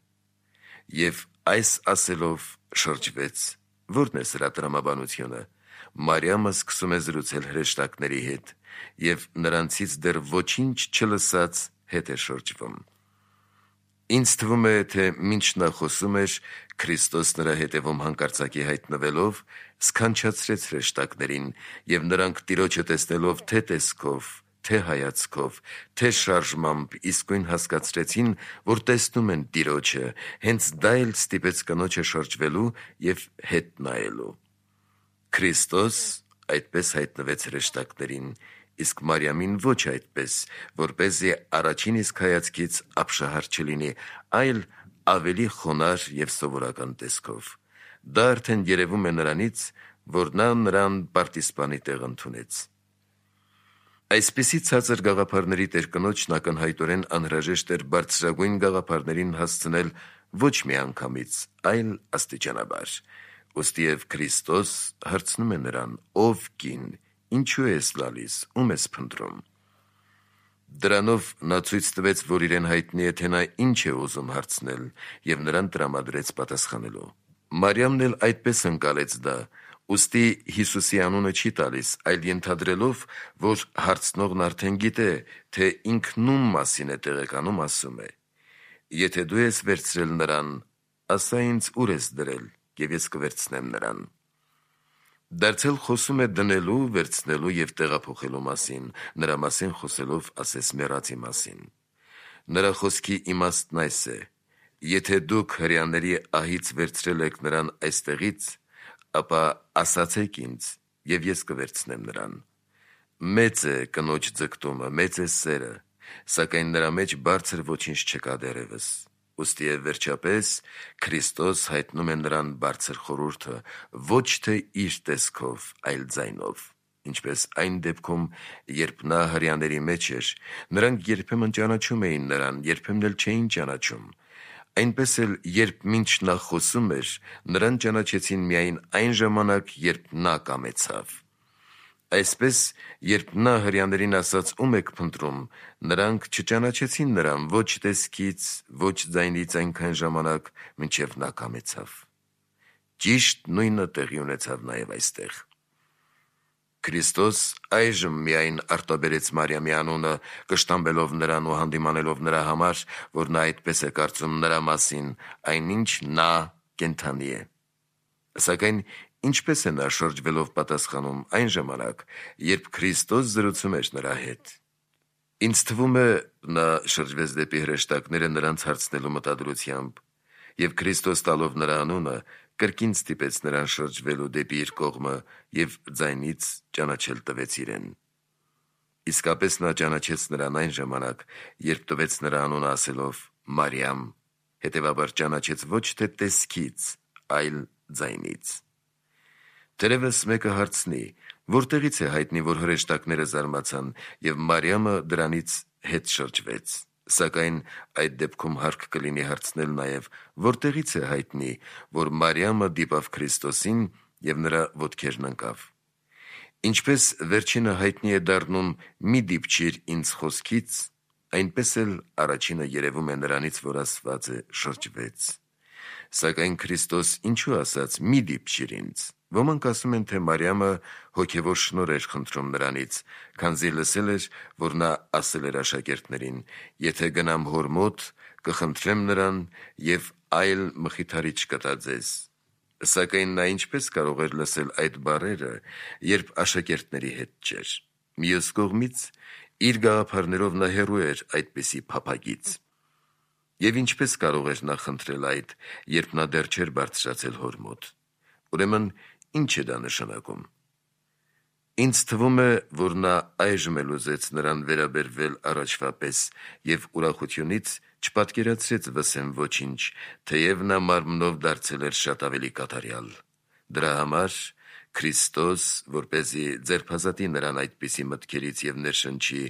Եվ այս ասելով շրջվեց։ Որն է սրա տրամաբանությունը։ Մարիամը սկսում է զրուցել հրեշտակների հետ և նրանցից դեռ ոչինչ չլսած հետ է շրջվում։ Ինձ թվում է, թե մինչ նա խոսում էր, Քրիստոս նրա հետևում հանկարծակի հայտնվելով սքանչացրեց հրեշտակներին, և նրանք տիրոջը տեսնելով թե տեսքով, թե հայացքով, թե շարժմամբ իսկույն հասկացրեցին, որ տեսնում են տիրոջը, հենց դա էլ ստիպեց կնոջը շրջվելու և հետ նայելու։ Քրիստոս այդպես հայտնվեց հրեշտակներին, իսկ Մարիամին ոչ այդպես, որպեսզի առաջին իսկ հայացքից ապշահար չլինի, այլ ավելի խոնարհ և սովորական տեսքով։ Դա արդեն երևում է նրանից, որ նա նրան պարտիզպանի տեղ ընդունեց։ Այսպիսի ցածր գաղափարների տերկնոջն ակնհայտորեն անհրաժեշտ էր բարձրագույն գաղափարներին հասցնել ոչ միանգամից, այլ աստիճանաբար։ Ուստիև Քրիստոս հարցնում է նրան. «Ով կին, ինչու ես լալիս, ում ես փնտրում»։ Դրանով նա ցույց տվեց, որ իրեն հայտնի է, թե նա ինչ է ուզում հարցնել, և նրան տրամադրեց պատասխանելու։ Մարիամն էլ այդպես ընկալեց դա, ուստի Հիսուսի անունը չի տալիս, այլ ենթադրելով, որ հարցնողն արդեն գիտե, թե ինքն ում մասին է տեղեկանում, ասում է. «Եթե դու ես վերցրել նրան, ասա ինձ ուր ես դրել, և ես կվերցնեմ նրան»։ Դարձել խոսում է դնելու, վերցնելու և տեղափոխելու մասին, նրա մասին խոսելով ասես մեռածի մասին։ Նրա խոսքի իմաստն այս է. «Եթե դուք հրեաների ահից վերցրել եք նրան այստեղից, ապա ասացեք ինձ, և ես կվերցնեմ նրան»։ Մեծ է կնոջ ձգտումը, մեծ է սերը, սակայն նրա մեջ բարձր ոչինչ չկա դեռևս։ Ուստիև վերջապես Քրիստոս հայտնում է նրան բարձր խորհուրդը, ոչ թե իր տեսքով, այլ ձայնով։ Ինչպես այն դեպքում, երբ նա հրեաների մեջ էր, նրանք երբեմն ճանաչում էին նրան, երբեմն էլ չէին ճանաչում։ Այնպես էլ, երբ մինչ նա խոսում էր, նրան ճանաչեցին միայն այն ժամանակ, երբ նա կամեցավ։ Այսպես, երբ նա հրեաներին ասաց. «Ում եք փնտրում», նրանք չճանաչեցին նրան ոչ տեսքից, ոչ ձայնից այնքան ժամանակ, մինչև նա կամեցավ։ Ճիշտ նույնը տեղի ունեցավ նաև այստեղ։ Քրիստոս այժմ միայն արտաբերեց Մարիամի անունը, կշտամբելով նրան ու հանդիմանելով նրա համար, որ նա այդպես է կարծում նրա մասին, այնինչ նա կենդանի է։ Սակայն ինչպես է նա շրջվելով պատասխանում այն ժամանակ, երբ Քրիստոս զրուցում էր նրա հետ։ Ինձ թվում է, նա շրջվեց դեպի հրեշտակները նրանց հարցնելու մտադրությամբ, և Քրիստոս տալով նրա անունը, կրկին ստիպեց նրան շրջվելու դեպի իր կողմը և ձայնից ճանաչել տվեց իրեն։ Իսկապես նա ճանաչեց նրան այն ժամանակ, երբ տվեց նրա անունը ասելով. «Մարիամ», հետևաբար ճանաչեց ոչ թե տեսքից, այլ ձայնից։ Թերևս մեկը հարցնի. որտեղից է հայտնի, որ հրեշտակները զարմացան, և Մարիամը դրանից հետ շրջվեց։ Սակայն այդ դեպքում հարկ կլինի հարցնել նաև, որտեղից է հայտնի, որ Մարիամը դիպավ Քրիստոսին և նրա ոտքերն ընկավ։ Ինչպես վերջինը հայտնի է դառնում «մի դիպչիր ինձ» խոսքից, այնպես էլ առաջինը երևում է նրանից, որ ասված է շրջվեց։ Սակայն Քրիստոս ինչու ասաց «մի դիպչիր ինձ»։ Ոմանք ասում են, թե Մարիամը հոգևոր շնորհ էր խնդրում նրանից, քանզի լսել էր, որ նա ասել էր աշակերտներին. «Եթե գնամ հոր մոտ, կխնդրեմ նրան և այլ մխիթարիչ կտա ձեզ»։ Սակայն նա ինչպես կարող էր լսել այդ բառերը, երբ աշակերտների հետ չէր։ Մյուս կողմից, իր գաղափարներով նա հեռու էր այդպիսի փափագից։ Եվ ինչպես կարող էր նա խնդրել այդ, երբ նա դեռ չէր բարձրացել հոր մոտ։ Ուրեմն ինչ է դա նշանակում։ Ինձ թվում է, որ նա այժմ էլ ուզեց նրան վերաբերվել առաջվա պես և ուրախությունից չպատկերացրեց վսեմ ոչինչ, թեև նա մարմնով դարձել էր շատ ավելի կատարյալ։ Դրա համար Քրիստոս, որպեսզի ձերբազատի նրան այդպիսի մտքերից և ներշնչի,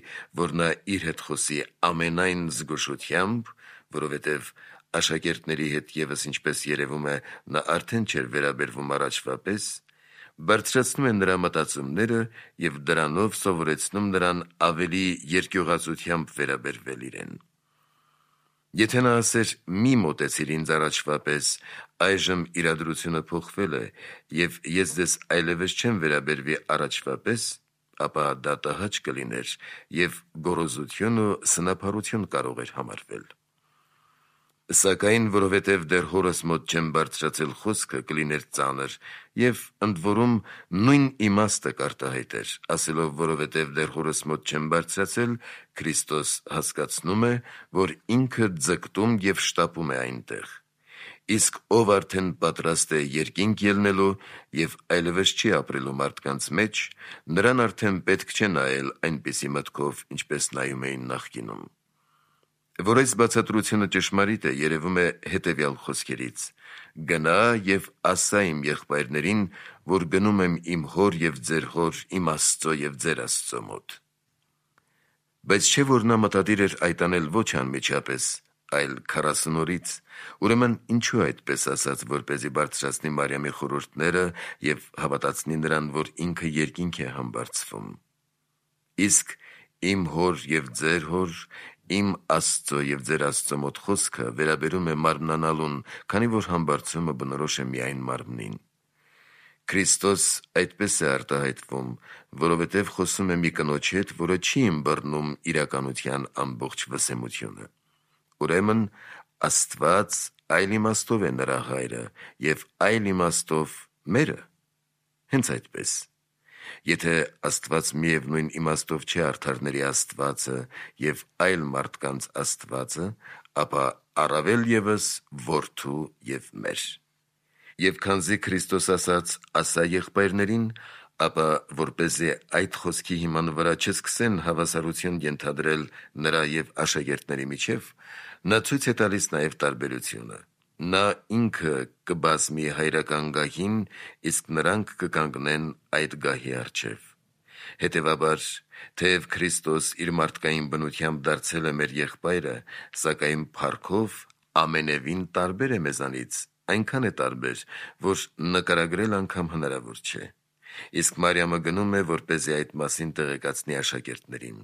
որ նա իր հետ խոսի ամենայն զգուշությամբ, որովհետև աշակերտների հետ ևս ինչպես երևում է, նա արդեն չէր վերաբերվում առաջվա պես, բարձրացնում է նրա մտածումները և դրանով սովորեցնում նրան ավելի երկյուղածությամբ վերաբերվել իրեն։ Եթե նա ասեր մի մոտեցիր ինձ առաջվա պես, այժմ իրադրությունը փոխվել է և ես ձեզ այլևս չեմ վերաբերվի առաջվա պես, ապա դա տհաճ կլիներ և գոռոզություն ու սնափառություն կարող էր համարվել։ Սակայն որովհետև դեռ հորս մոտ չեմ բարձրացել խոսքը, կլիներ ծանր և ընդ որում նույն իմաստը կարտահայտեր, ասելով որովհետև դեռ հորս մոտ չեմ բարձրացել, Քրիստոս հասկացնում է, որ ինքը ձգտում և շտապում է այնտեղ։ Իսկ ով արդեն պատրաստ է երկինք ելնելու և այլևս չի ապրելու մարդկանց մեջ, նրան արդեն պետք չէ նայել այնպիսի մտքով, ինչպես նայում էին նախկինում։ Որ այս բացատրությունը ճշմարիտ է, երևում է հետևյալ խոսքերից. «Գնա և ասա իմ եղբայրներին, որ գնում եմ իմ հոր և ձեր հոր, իմ Աստծո և ձեր Աստծո մոտ»։ Բայց չէ՞ որ նա մտադիր էր այդ անել ոչ անմիջապես, այլ 40 օրից, ուրեմն ինչու այդպես ասաց, որպեսզի բարձրացնի Մարիամի խորհուրդները և հավատացնի նրան, որ ինքը երկինք է համբարձվում։ Իսկ իմ հոր և ձեր հոր, իմ Աստծո և ձեր Աստծո մոտ խոսքը վերաբերում է մարմնանալուն, քանի որ համբարձումը բնորոշ է միայն մարմնին։ Քրիստոս այդպես է արտահայտվում, որովհետև խոսում է մի կնոջ հետ, որը չի ըմբռնում իրականության ամբողջ վսեմությունը։ Ուրեմն Աստված այլ իմաստով է նրա հայրը և այլ իմաստով մերը։ Հենց այդպես։ Եթե Աստված միևնույն իմաստով չէ արդարների Աստվածը և այլ մարդկանց Աստվածը, ապա առավել ևս որդու և մեր։ Եվ քանզի Քրիստոս ասաց «ասա եղբայրներին», ապա որպեսզի այդ խոսքի հիման վրա չսկսեն հավասարություն ենթադրել նրա և աշակերտների միջև, նա ցույց է տալիս նաև տարբերությունը։ Նա ինքը կբազմի հայրական գահին, իսկ նրանք կկանգնեն այդ գահի առջև։ Հետևաբար, թեև Քրիստոս իր մարդկային բնությամբ դարձել է մեր եղբայրը, սակայն փառքով ամենևին տարբեր է մեզանից, այնքան է տարբեր, որ նկարագրել անգամ հնարավոր չէ։ Իսկ Մարիամը գնում է, որպեսզի այդ մասին տեղեկացնի աշակերտներին։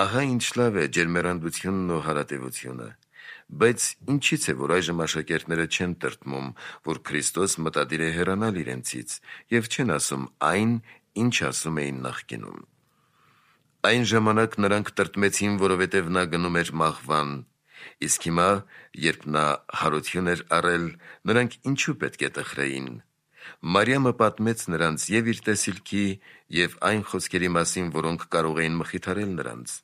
Ահա ինչ լավ է ջերմեռանդությունն ու հարատևությունը։ Բայց ինչի՞ց է, որ այժմ աշակերտները չեն տրտմում, որ Քրիստոս մտադիր է հեռանալ իրենցից և չեն ասում այն, ինչ ասում էին նախկինում։ Այն ժամանակ նրանք տրտմեցին, որովհետև նա գնում էր մահվան, իսկ հիմա, երբ նա հարություն էր առել, նրանք ինչու պետք է տխրեին։ Մարիամը պատմեց նրանց և իր տեսիլքի, և այն խոսքերի մասին, որոնք կարող էին մխիթարել նրանց։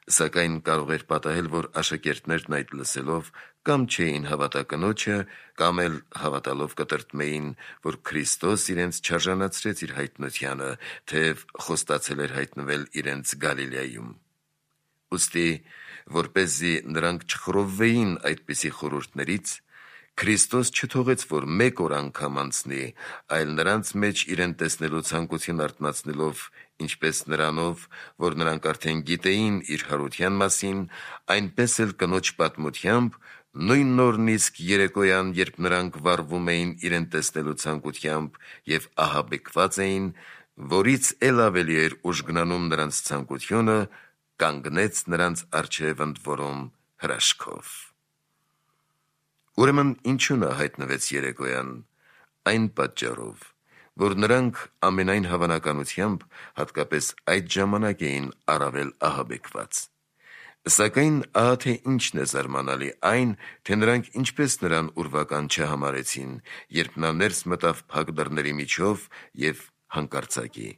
Սակայն կարող էր պատահել, որ աշակերտներն այդ լսելով կամ չէին հավատա կնոջը, կամ էլ հավատալով կտրտմեին, որ Քրիստոս իրենց չարժանացրեց իր հայտնությանը, թեև խոստացել էր հայտնվել իրենց Գալիլեայում։ Ուստի, որպեսզի նրանք չխռովվեին այդպիսի խորհուրդներից, Քրիստոս չթողեց, որ մեկ օր անգամ անցնի, այլ նրանց մեջ իրեն տեսնելու ցանկություն արթնացնելով, ինչպես նրանով, որ նրանք արդեն գիտեին իր հարության մասին, այնպես էլ կնոջ պատմությամբ, նույն օրն իսկ երեկոյան, երբ նրանք վառվում էին իրեն տեսնելու ցանկությամբ և ահաբեկված էին, որից էլ ավելի էր ուժգնանում նրանց ցանկությունը, կանգնեց նրանց առջև ընդ որում հրաշքով։ Ուրեմն ինչու նա հայտնվեց երեկոյան։ Այն պատճառով, որ նրանք ամենայն հավանականությամբ հատկապես այդ ժամանակ էին առավել ահաբեկված։ Սակայն ահա թե ինչն է զարմանալի, այն, թե նրանք ինչպես նրան ուրվական չհամարեցին, երբ նա ներս մտավ փակ դռների միջով և հանկարծակի։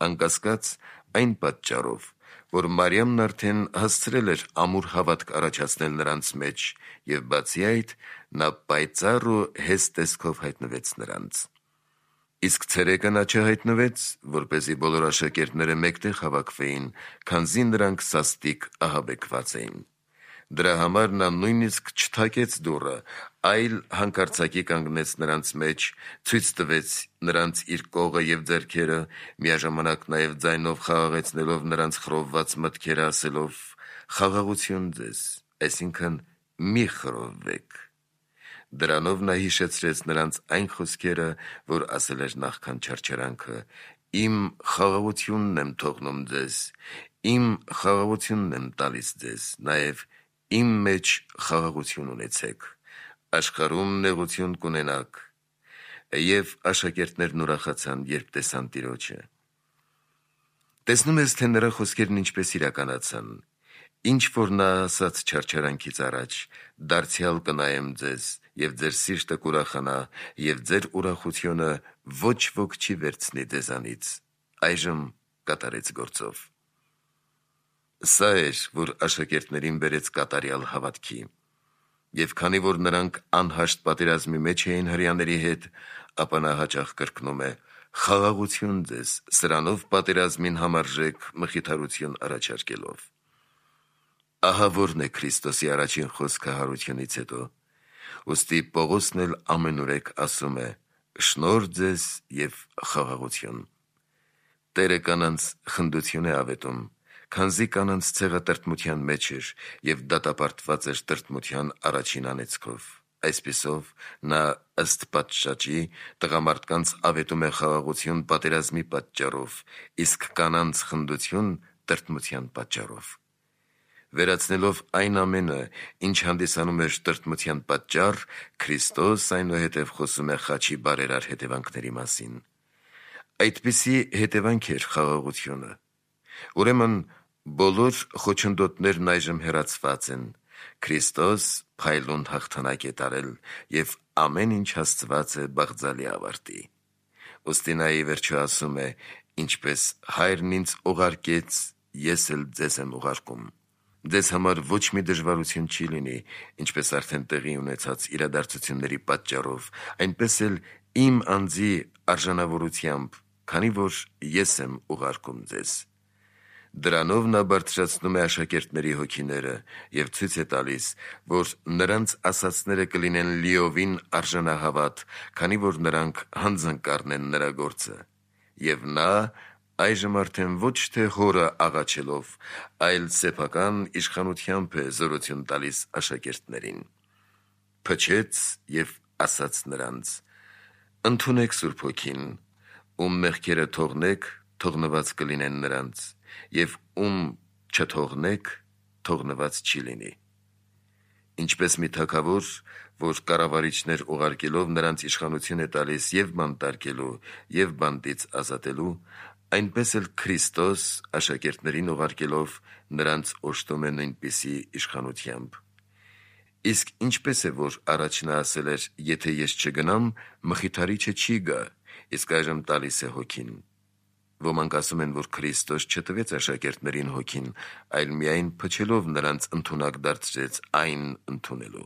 Անկասկած այն պատճառով, որ Մարիամն արդեն հասցրել էր ամուր հավատք առաջացնել նրանց մեջ, և բացի այդ, նա պայծառ ու հեզ տեսքով հայտնվեց նրանց։ Իսկ ցերեկը նա չհայտնվեց, որպեսզի բոլոր աշակերտները մեկտեղ հավաքվեին, քանզի նրանք սաստիկ ահաբեկված էին։ Դրա համար նա նույնիսկ չթակեց դուռը, այլ հանկարծակի կանգնեց նրանց մեջ, ցույց տվեց նրանց իր կողը և ձեռքերը, միաժամանակ նաև ձայնով խաղաղեցնելով նրանց խռովված մտքերը, ասելով. «Խաղաղություն ձեզ», այսինքն մի խռովվեք։ Դրանով նա հիշեցրեց նրանց այն խոսքերը, որ ասել էր նախքան չարչարանքը. «Իմ խաղաղությունն եմ թողնում ձեզ, իմ խաղաղությունն եմ տալիս ձեզ, նաև իմ մեջ խաղաղություն ունեցեք, աշխարհում նեղություն կունենաք»։ Եվ աշակերտներն ուրախացան, երբ տեսան Տիրոջը։ Տեսնում ես, թե նրա խոսքերն ինչպես իրականացան։ Ինչ որ նա ասաց չարչարանքից առաջ. «Դարձյալ կնայեմ ձեզ, և ձեր սիրտը կուրախանա, և ձեր ուրախությունը ոչ ոք չի վերցնի ձեզանից», այժմ կատարեց գործով։ Սա էր, որ աշակերտներին բերեց կատարյալ հավատքի։ Եվ քանի որ նրանք անհաշտ պատերազմի մեջ էին հրեաների հետ, ապա նա հաճախ կրկնում է. «Խաղաղություն ձեզ», սրանով պատերազմին համարժեք մխիթարություն առաջարկելով։ Ահա որն է Քրիստոսի առաջին խոսքը հարությունից հետո։ Ուստի Պողոսն էլ ամենուրեք ասում է. «Շնորհ ձեզ և խաղաղություն»։ Տերը կանանց խնդություն է ավետում, քանզի կանանց ցեղը տրտմության մեջ էր և դատապարտված էր տրտմության առաջին անեծքով։ Այսպիսով, նա ըստ պատշաճի տղամարդկանց ավետում է խաղաղություն պատերազմի պատճառով, իսկ կանանց խնդություն տրտմության պատճառով։ Վերացնելով այն ամենը, ինչ հանդիսանում էր տրտմության պատճառ, Քրիստոս այնուհետև խոսում է խաչի բարերար հետևանքների մասին։ Այդպիսի հետևանք էր խաղաղությունը։ Ուրեմն բոլոր խոչընդոտներն այժմ հեռացված են։ Քրիստոս փայլուն հաղթանակ է տարել և ամեն ինչ հասցված է բաղձալի ավարտի։ Ուստի նա ի վերջո ասում է. «Ինչպես Հայրն ինձ ուղարկեց, ես էլ ձեզ եմ ուղարկում»։ Ձեզ համար ոչ մի դժվարություն չի լինի, ինչպես արդեն տեղի ունեցած իրադարձությունների պատճառով, այնպես էլ իմ անձի արժանավորությամբ, քանի որ ես եմ ուղարկում ձեզ։ Դրանով նա բարձրացնում է աշակերտների հոգիները և ցույց է տալիս, որ նրանց ասածները կլինեն լիովին արժանահավատ, քանի որ նրանք հանձնկառն են նրա գործը։ Եվ նա այժմ արդեն ոչ թե հորը աղաչելով, այլ սեփական իշխանությամբ է զորություն տալիս աշակերտներին։ Փչեց և ասաց նրանց. «Ընդունեք Սուրբ Հոգին, ում մեղքերը թողնեք, թողնված կլինեն նրանց, և ում չթողնեք, թողնված չի լինի»։ Ինչպես մի թագավոր, որ կառավարիչներ ուղարկելով նրանց իշխանություն է տալիս և բանտարկելու, և բանտից ազատելու, այնպես էլ Քրիստոս աշակերտներին ուղարկելով նրանց օժտում է նույնպիսի իշխանությամբ։ Իսկ ինչպես է, որ առաջ նա ասել էր. «Եթե ես չգնամ, Մխիթարիչը չի գա», իսկ այժմ տալիս է Հոգին։ Ոմանք ասում են, որ Քրիստոս չտվեց աշակերտներին Հոգին, այլ միայն փչելով նրանց ընդունակ դարձրեց այն ընդունելու։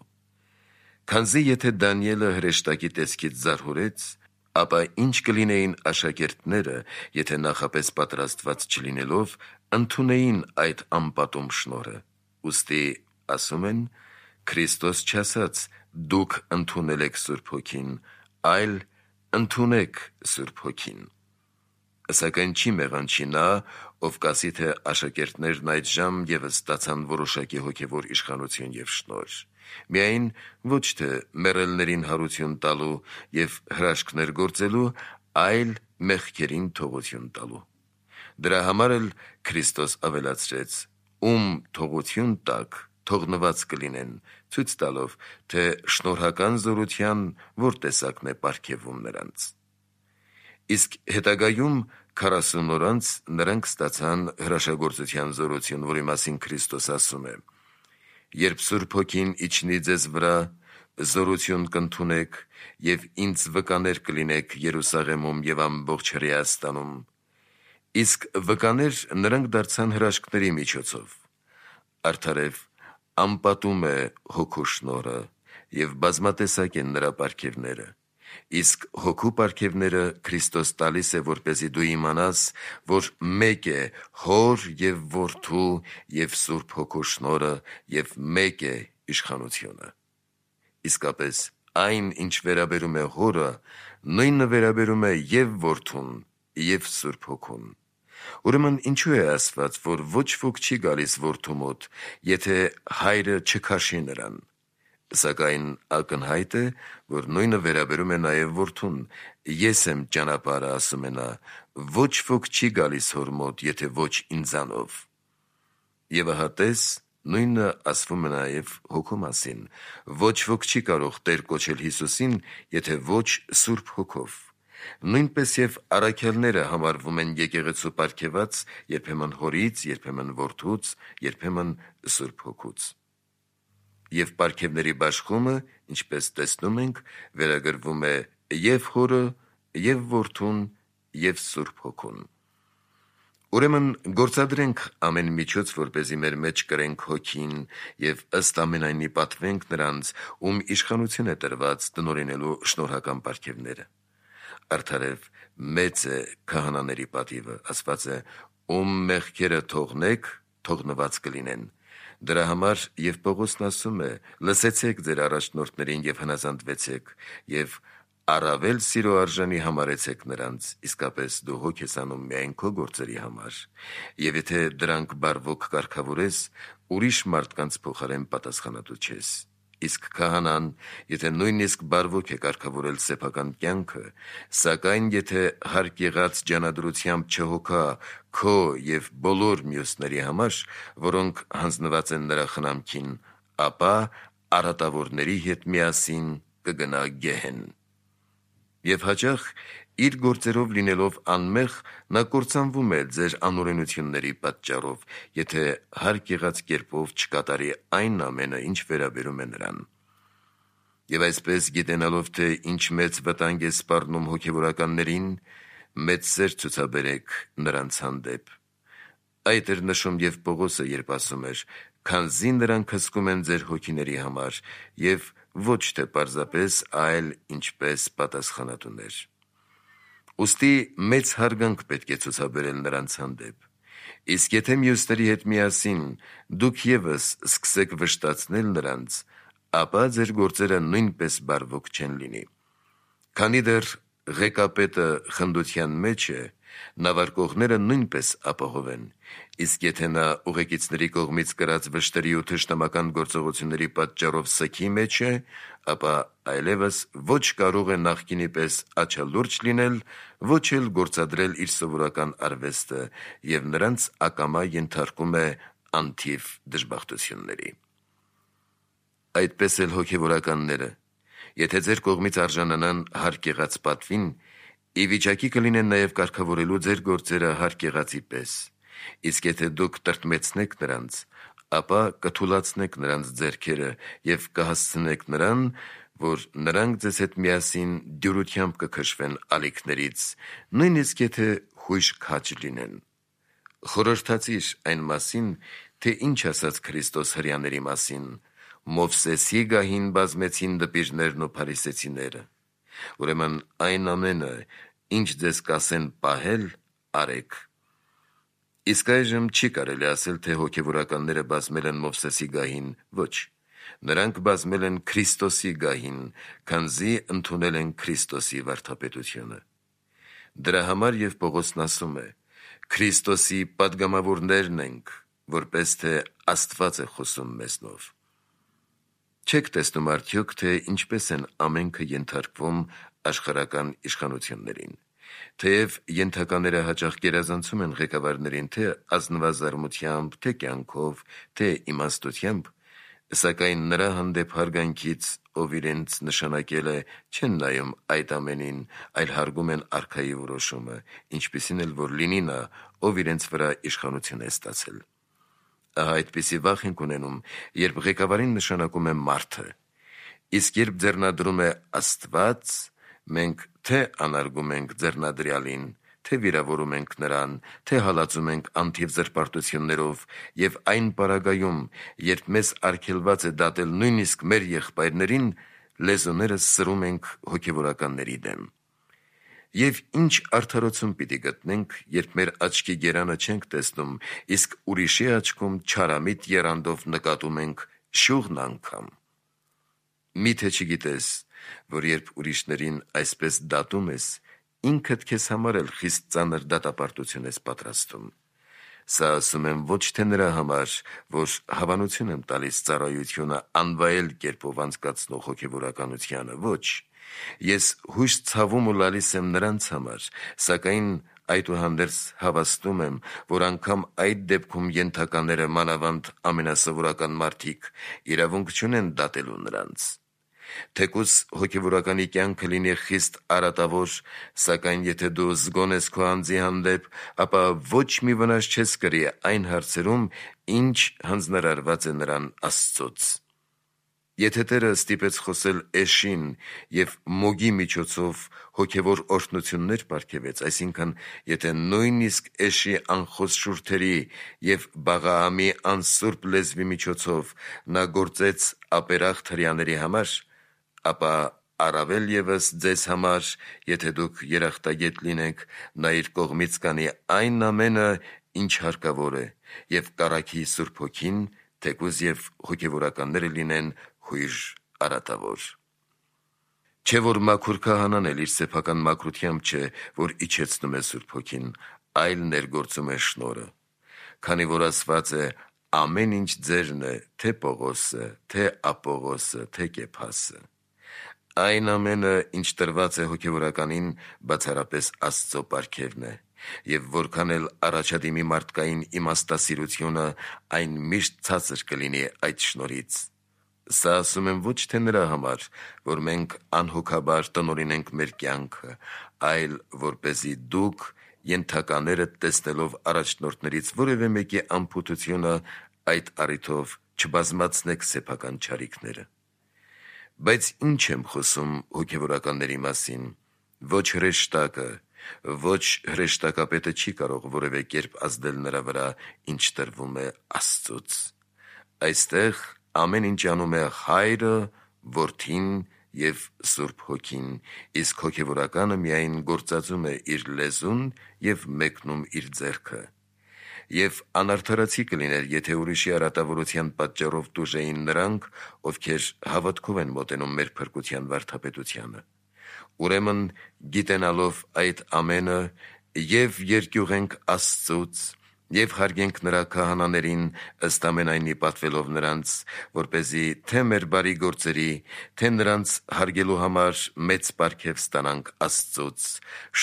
Քանզի եթե Դանիելը հրեշտակի տեսքից զարհուրեց, ապա ինչ կլինեին աշակերտները, եթե նախապես պատրաստված չլինելով, ընդունեին այդ անպատում շնորհը։ Ուստի ասում են. Քրիստոս չասաց. «Դուք ընդունել եք Սուրբ Հոգին», այլ «Ընդունեք Սուրբ Հոգին»։ Սակայն չի մեղանչի նա, ով կասի, թե աշակերտներն այդժամ ևս ստացան որոշակի հոգևոր իշխանություն և շնորհ։ Միայն ոչ թե մեռելներին հարություն տալու և հրաշքներ գործելու, այլ մեղքերին թողություն տալու։ Դրա համար էլ Քրիստոս ավելացրեց. «Ում թողություն տաք, թողնված կլինեն», ցույց տալով, թե շնորհական զորության որ տեսակն է պարգևվում նրանց։ Իսկ հետագայում 40 օր անց նրանք ստացան հրաշագործության զորություն, որի մասին Քրիստոս ասում է. «Երբ Սուրբ Հոգին իջնի ձեզ վրա, զորություն կընդունեք և ինձ վկաներ կլինեք Երուսաղեմում և ամբողջ Հրեաստանում»։ Իսկ վկաներ նրանք դարձան հրաշքների միջոցով։ Արդարև անպատում է Հոգու շնորհը, և բազմատեսակ են նրա պարգևները։ Իսկ հոգու պարգևները Քրիստոս տալիս է, որպեսզի դու իմանաս, որ մեկ է Հոր և Որդու և Սուրբ Հոգու շնորհը և մեկ է իշխանությունը։ Իսկապես այն, ինչ վերաբերում է Հորը, նույնը վերաբերում է և Որդուն, և Սուրբ Հոգուն։ Ուրեմն ինչու է ասված, որ ոչ ոք չի գալիս Որդու մոտ, եթե Հայրը չքաշի նրան։ Սակայն ակնհայտ է, որ նույնը վերաբերում է նաև Որդուն. «Ես եմ ճանապարհը», ասում է նա, «ոչ ոք չի գալիս Հոր մոտ, եթե ոչ ինձանով»։ Եվ ահա տես, նույնը ասվում է նաև Հոգու մասին. «Ոչ ոք չի կարող Տեր կոչել Հիսուսին, եթե ոչ Սուրբ Հոգով»։ Նույնպես և առաքյալները համարվում են եկեղեցու պարգևած երբեմն Հորից, երբեմն Որդուց, երբեմն Սուրբ Հոգուց։ Եվ պարգևների բաշխումը, ինչպես տեսնում ենք, վերագրվում է և Հորը, և Որդուն, և Սուրբ Հոգուն։ Ուրեմն գործադրենք ամեն միջոց, որպեսզի մեր մեջ կրենք Հոգին և ըստ ամենայնի պատվենք նրանց, ում իշխանություն է տրված տնօրինելու շնորհական պարգևները։ Արդարև մեծ է քահանաների պատիվը, ասված է. «Ում մեղքերը թողնեք, թողնված կլինեն»։ Դրա համար և Պողոսն ասում է. «Լսեցեք ձեր առաջնորդներին և հնազանդվեցեք, և առավել սիրո արժանի համարեցեք նրանց, իսկապես դու հոգ ես անում միայն քո գործերի համար, և եթե դրանք բարվոք կարգավորես, ուրիշ մարդկանց փոխարեն պատասխանատու չես։ Իսկ քահանան, եթե նույնիսկ բարվոք է կարգավորել սեփական կյանքը, սակայն եթե հարկ եղած ջանադրությամբ չհոգա քո և բոլոր մյուսների համար, որոնք հանձնված են նրա խնամքին, ապա առատավորների հետ միասին կգնա գեհեն»։ Եվ հաճախ իր գործերով լինելով անմեղ, նա կործանվում է ձեր անօրենությունների պատճառով, եթե հարկ եղած կերպով չկատարի այն ամենը, ինչ վերաբերում է նրան։ Եվ այսպես գիտենալով, թե ինչ մեծ վտանգ է սպառնում հոգևորականներին, մեծ սեր ցուցաբերեք նրանց հանդեպ։ Այդ էր նշում և Պողոսը, երբ ասում էր. «Քանզի նրանք հսկում են ձեր հոգիների համար, և ոչ թե պարզապես, այլ ինչպես պատասխանատուներ»։ Ուստի մեծ հարգանք պետք է ցուցաբերել նրանց հանդեպ։ Իսկ եթե մյուսների հետ միասին դուք ևս սկսեք վշտացնել նրանց, ապա ձեր գործերը նույնպես բարվոք չեն լինի։ Քանի դեռ ղեկապետը խնդության մեջ է, նավարկողները նույնպես ապահով են, իսկ եթե նա ուղեկիցների կողմից կրած վշտերի ու թշնամական գործողությունների պատճառով սգի մեջ է, ապա այլևս ոչ կարող է նախկինի պես աչալուրջ լինել, ոչ էլ գործադրել իր սովորական արվեստը և նրանց ակամա ենթարկում է անթիվ դժբախտությունների։ Այդպես էլ հոգևորականները, եթե ձեր կողմից արժանանան հարկ եղած պատվին, ի վիճակի կլինեն նաև կարգավորելու ձեր գործերը հարկ եղածի պես, իսկ եթե դուք տրտմեցնեք նրանց, ապա կթուլացնեք նրանց ձեռքերը և կհասցնեք նրան, որ նրանք ձեզ հետ միասին դյուրությամբ կքշվեն ալիքներից, նույնիսկ եթե հույժ քաջ լինեն։ Խորհրդացիր այն մասին, թե ինչ ասաց Քրիստոս հրեաների մասին. «Մովսեսի գահին բազմեցին դպիրներն ու փարիսեցիները»։ Ուրեմն այն ամենը, ինչ ձեզ կասեն պահել, արեք։ Իսկ այժմ չի կարելի ասել, թե հոգևորականները բազմել են Մովսեսի գահին, ոչ, նրանք բազմել են Քրիստոսի գահին, քանզի ընդունել են Քրիստոսի վարդապետությունը։ Դրա համար և Պողոսն ասում է. «Քրիստոսի պատգամավորներն ենք, որպես թե Աստված է խոսում մեզնով»։ Չեք տեսնում արդյոք, թե ինչպես են ամենքը ենթարկվում աշխարհական իշխանություններին։ Թեև ենթակաները հաճախ գերազանցում են ղեկավարներին թե ազնվազարմությամբ, թե կյանքով, թե իմաստությամբ, սակայն նրա հանդեպ հարգանքից, ով իրենց նշանակել է, չեն նայում այդ ամենին, այլ հարգում են արքայի որոշումը, ինչպիսին էլ որ լինի նա, ով իրենց վրա իշխանություն է ստացել։ Ահա այդպիսի վախ ենք ունենում, երբ ղեկավարին նշանակում է մարդը, իսկ երբ ձեռնադրում է Աստված, մենք թե անարգում ենք ձեռնադրյալին, թե վիրավորում ենք նրան, թե հալածում ենք անթիվ զրպարտություններով, և այն պարագայում, երբ մեզ արգելված է դատել նույնիսկ մեր եղբայրներին, լեզուներս սրում ենք հոգևորականների դեմ։ Եվ ինչ արդարություն պիտի գտնենք, երբ մեր աչքի գերանը չենք տեսնում, իսկ ուրիշի աչքում չարամիտ եռանդով նկատում ենք շուղն անգամ։ Միթե չգիտես, որ երբ ուրիշներին այսպես դատում ես, ինքդ քեզ համար էլ խիստ ծանր դատապարտություն ես պատրաստում։ Սա ասում եմ ոչ թե նրա համար, որ հավանություն եմ տալիս ծառայությունը անվայել կերպով անցկացնող հոգևորականությանը, ոչ։ Ես հույս ցավում ու լալիս եմ նրանց համար, սակայն այդուհանդերձ հավաստում եմ, որ անգամ այդ դեպքում ենթակաները, մանավանդ ամենասովորական մարդիկ, իրավունք չունեն դատելու նրանց։ Թեկուզ հոգևորականի կյանքը լինի խիստ արատավոր, սակայն եթե դու զգոն ես քո անձի հանդեպ, ապա ոչ մի վնաս չես կրի այն հարցերում, ինչ հանձնարարված է նրան Աստծոց։ Եթե Տերը ստիպեց խոսել Էշին և Մոգի միջոցով հոգևոր օրհնություններ պարգևեց, այսինքն եթե նույնիսկ Էշի անխոս շուրթերի և Բաղաամի անսուրբ լեզվի միջոցով նա գործեց ապերախտ հրեաների համար, ապա առավել ևս ձեզ համար, եթե դուք երախտագետ լինեք, նա իր կողմից կանի այն ամենը, ինչ հարկավոր է, և կառքի Սուրբ Հոգին, թեկուզ և հոգևորականները լինեն հույժ արատավոր։ Չէ՞ որ մաքուր քահանան էլ իր սեփական մաքրությամբ չէ, որ իջեցնում է Սուրբ Հոգին, այլ ներգործում է շնորհը, քանի որ ասված է. «Ամեն ինչ ձերն է, թե Պողոսը, թե Ապողոսը, թե Կեփասը»։ Այն ամենը, ինչ տրված է հոգևորականին, բացառապես Աստծո պարգևն է, և որքան էլ առաջադիմի մարդկային իմաստասիրությունը, այն միշտ ցածր կլինի այդ շնորհից։ Սա ասում եմ ոչ թե նրա համար, որ մենք անհոգաբար տնօրինենք մեր կյանքը, այլ որպեսզի դուք, ենթականերդ տեսնելով առաջնորդներից որևէ մեկի անփութությունը, այդ առիթով չբազմացնեք սեփական չարիքները։ Բայց ինչ եմ խոսում հոգևորականների մասին։ Ոչ հրեշտակը, ոչ հրեշտակապետը չի կարող որևէ կերպ ազդել նրա վրա, ինչ տրվում է Աստծուց։ Այստեղ ամեն ինչ անում է Հայրը, Որդին և Սուրբ Հոգին, իսկ հոգևորականը միայն գործածում է իր լեզուն և մեկնում իր ձեռքը։ Եվ անարդարացի կլիներ, եթե ուրիշի արատավորության պատճառով տուժեին նրանք, ովքեր հավատքով են մոտենում մեր փրկության վարդապետությանը։ Ուրեմն, գիտենալով այդ ամենը, և երկյուղենք Աստծուց, և հարգենք նրա քահանաներին, ըստ ամենայնի պատվելով նրանց, որպեսզի թե մեր բարի գործերի, թե նրանց հարգելու համար մեծ պարգև ստանանք Աստծուց,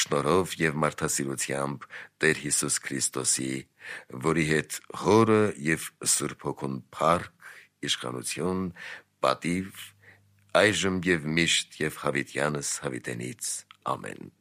շնորհով և մարդասիրությամբ Տեր Հիսուս Քրիստոսի, որի հետ Հորը և Սուրբ Հոգուն փառք, իշխանություն, պատիվ, այժմ և միշտ և հավիտյանս հավիտենից։ Ամեն։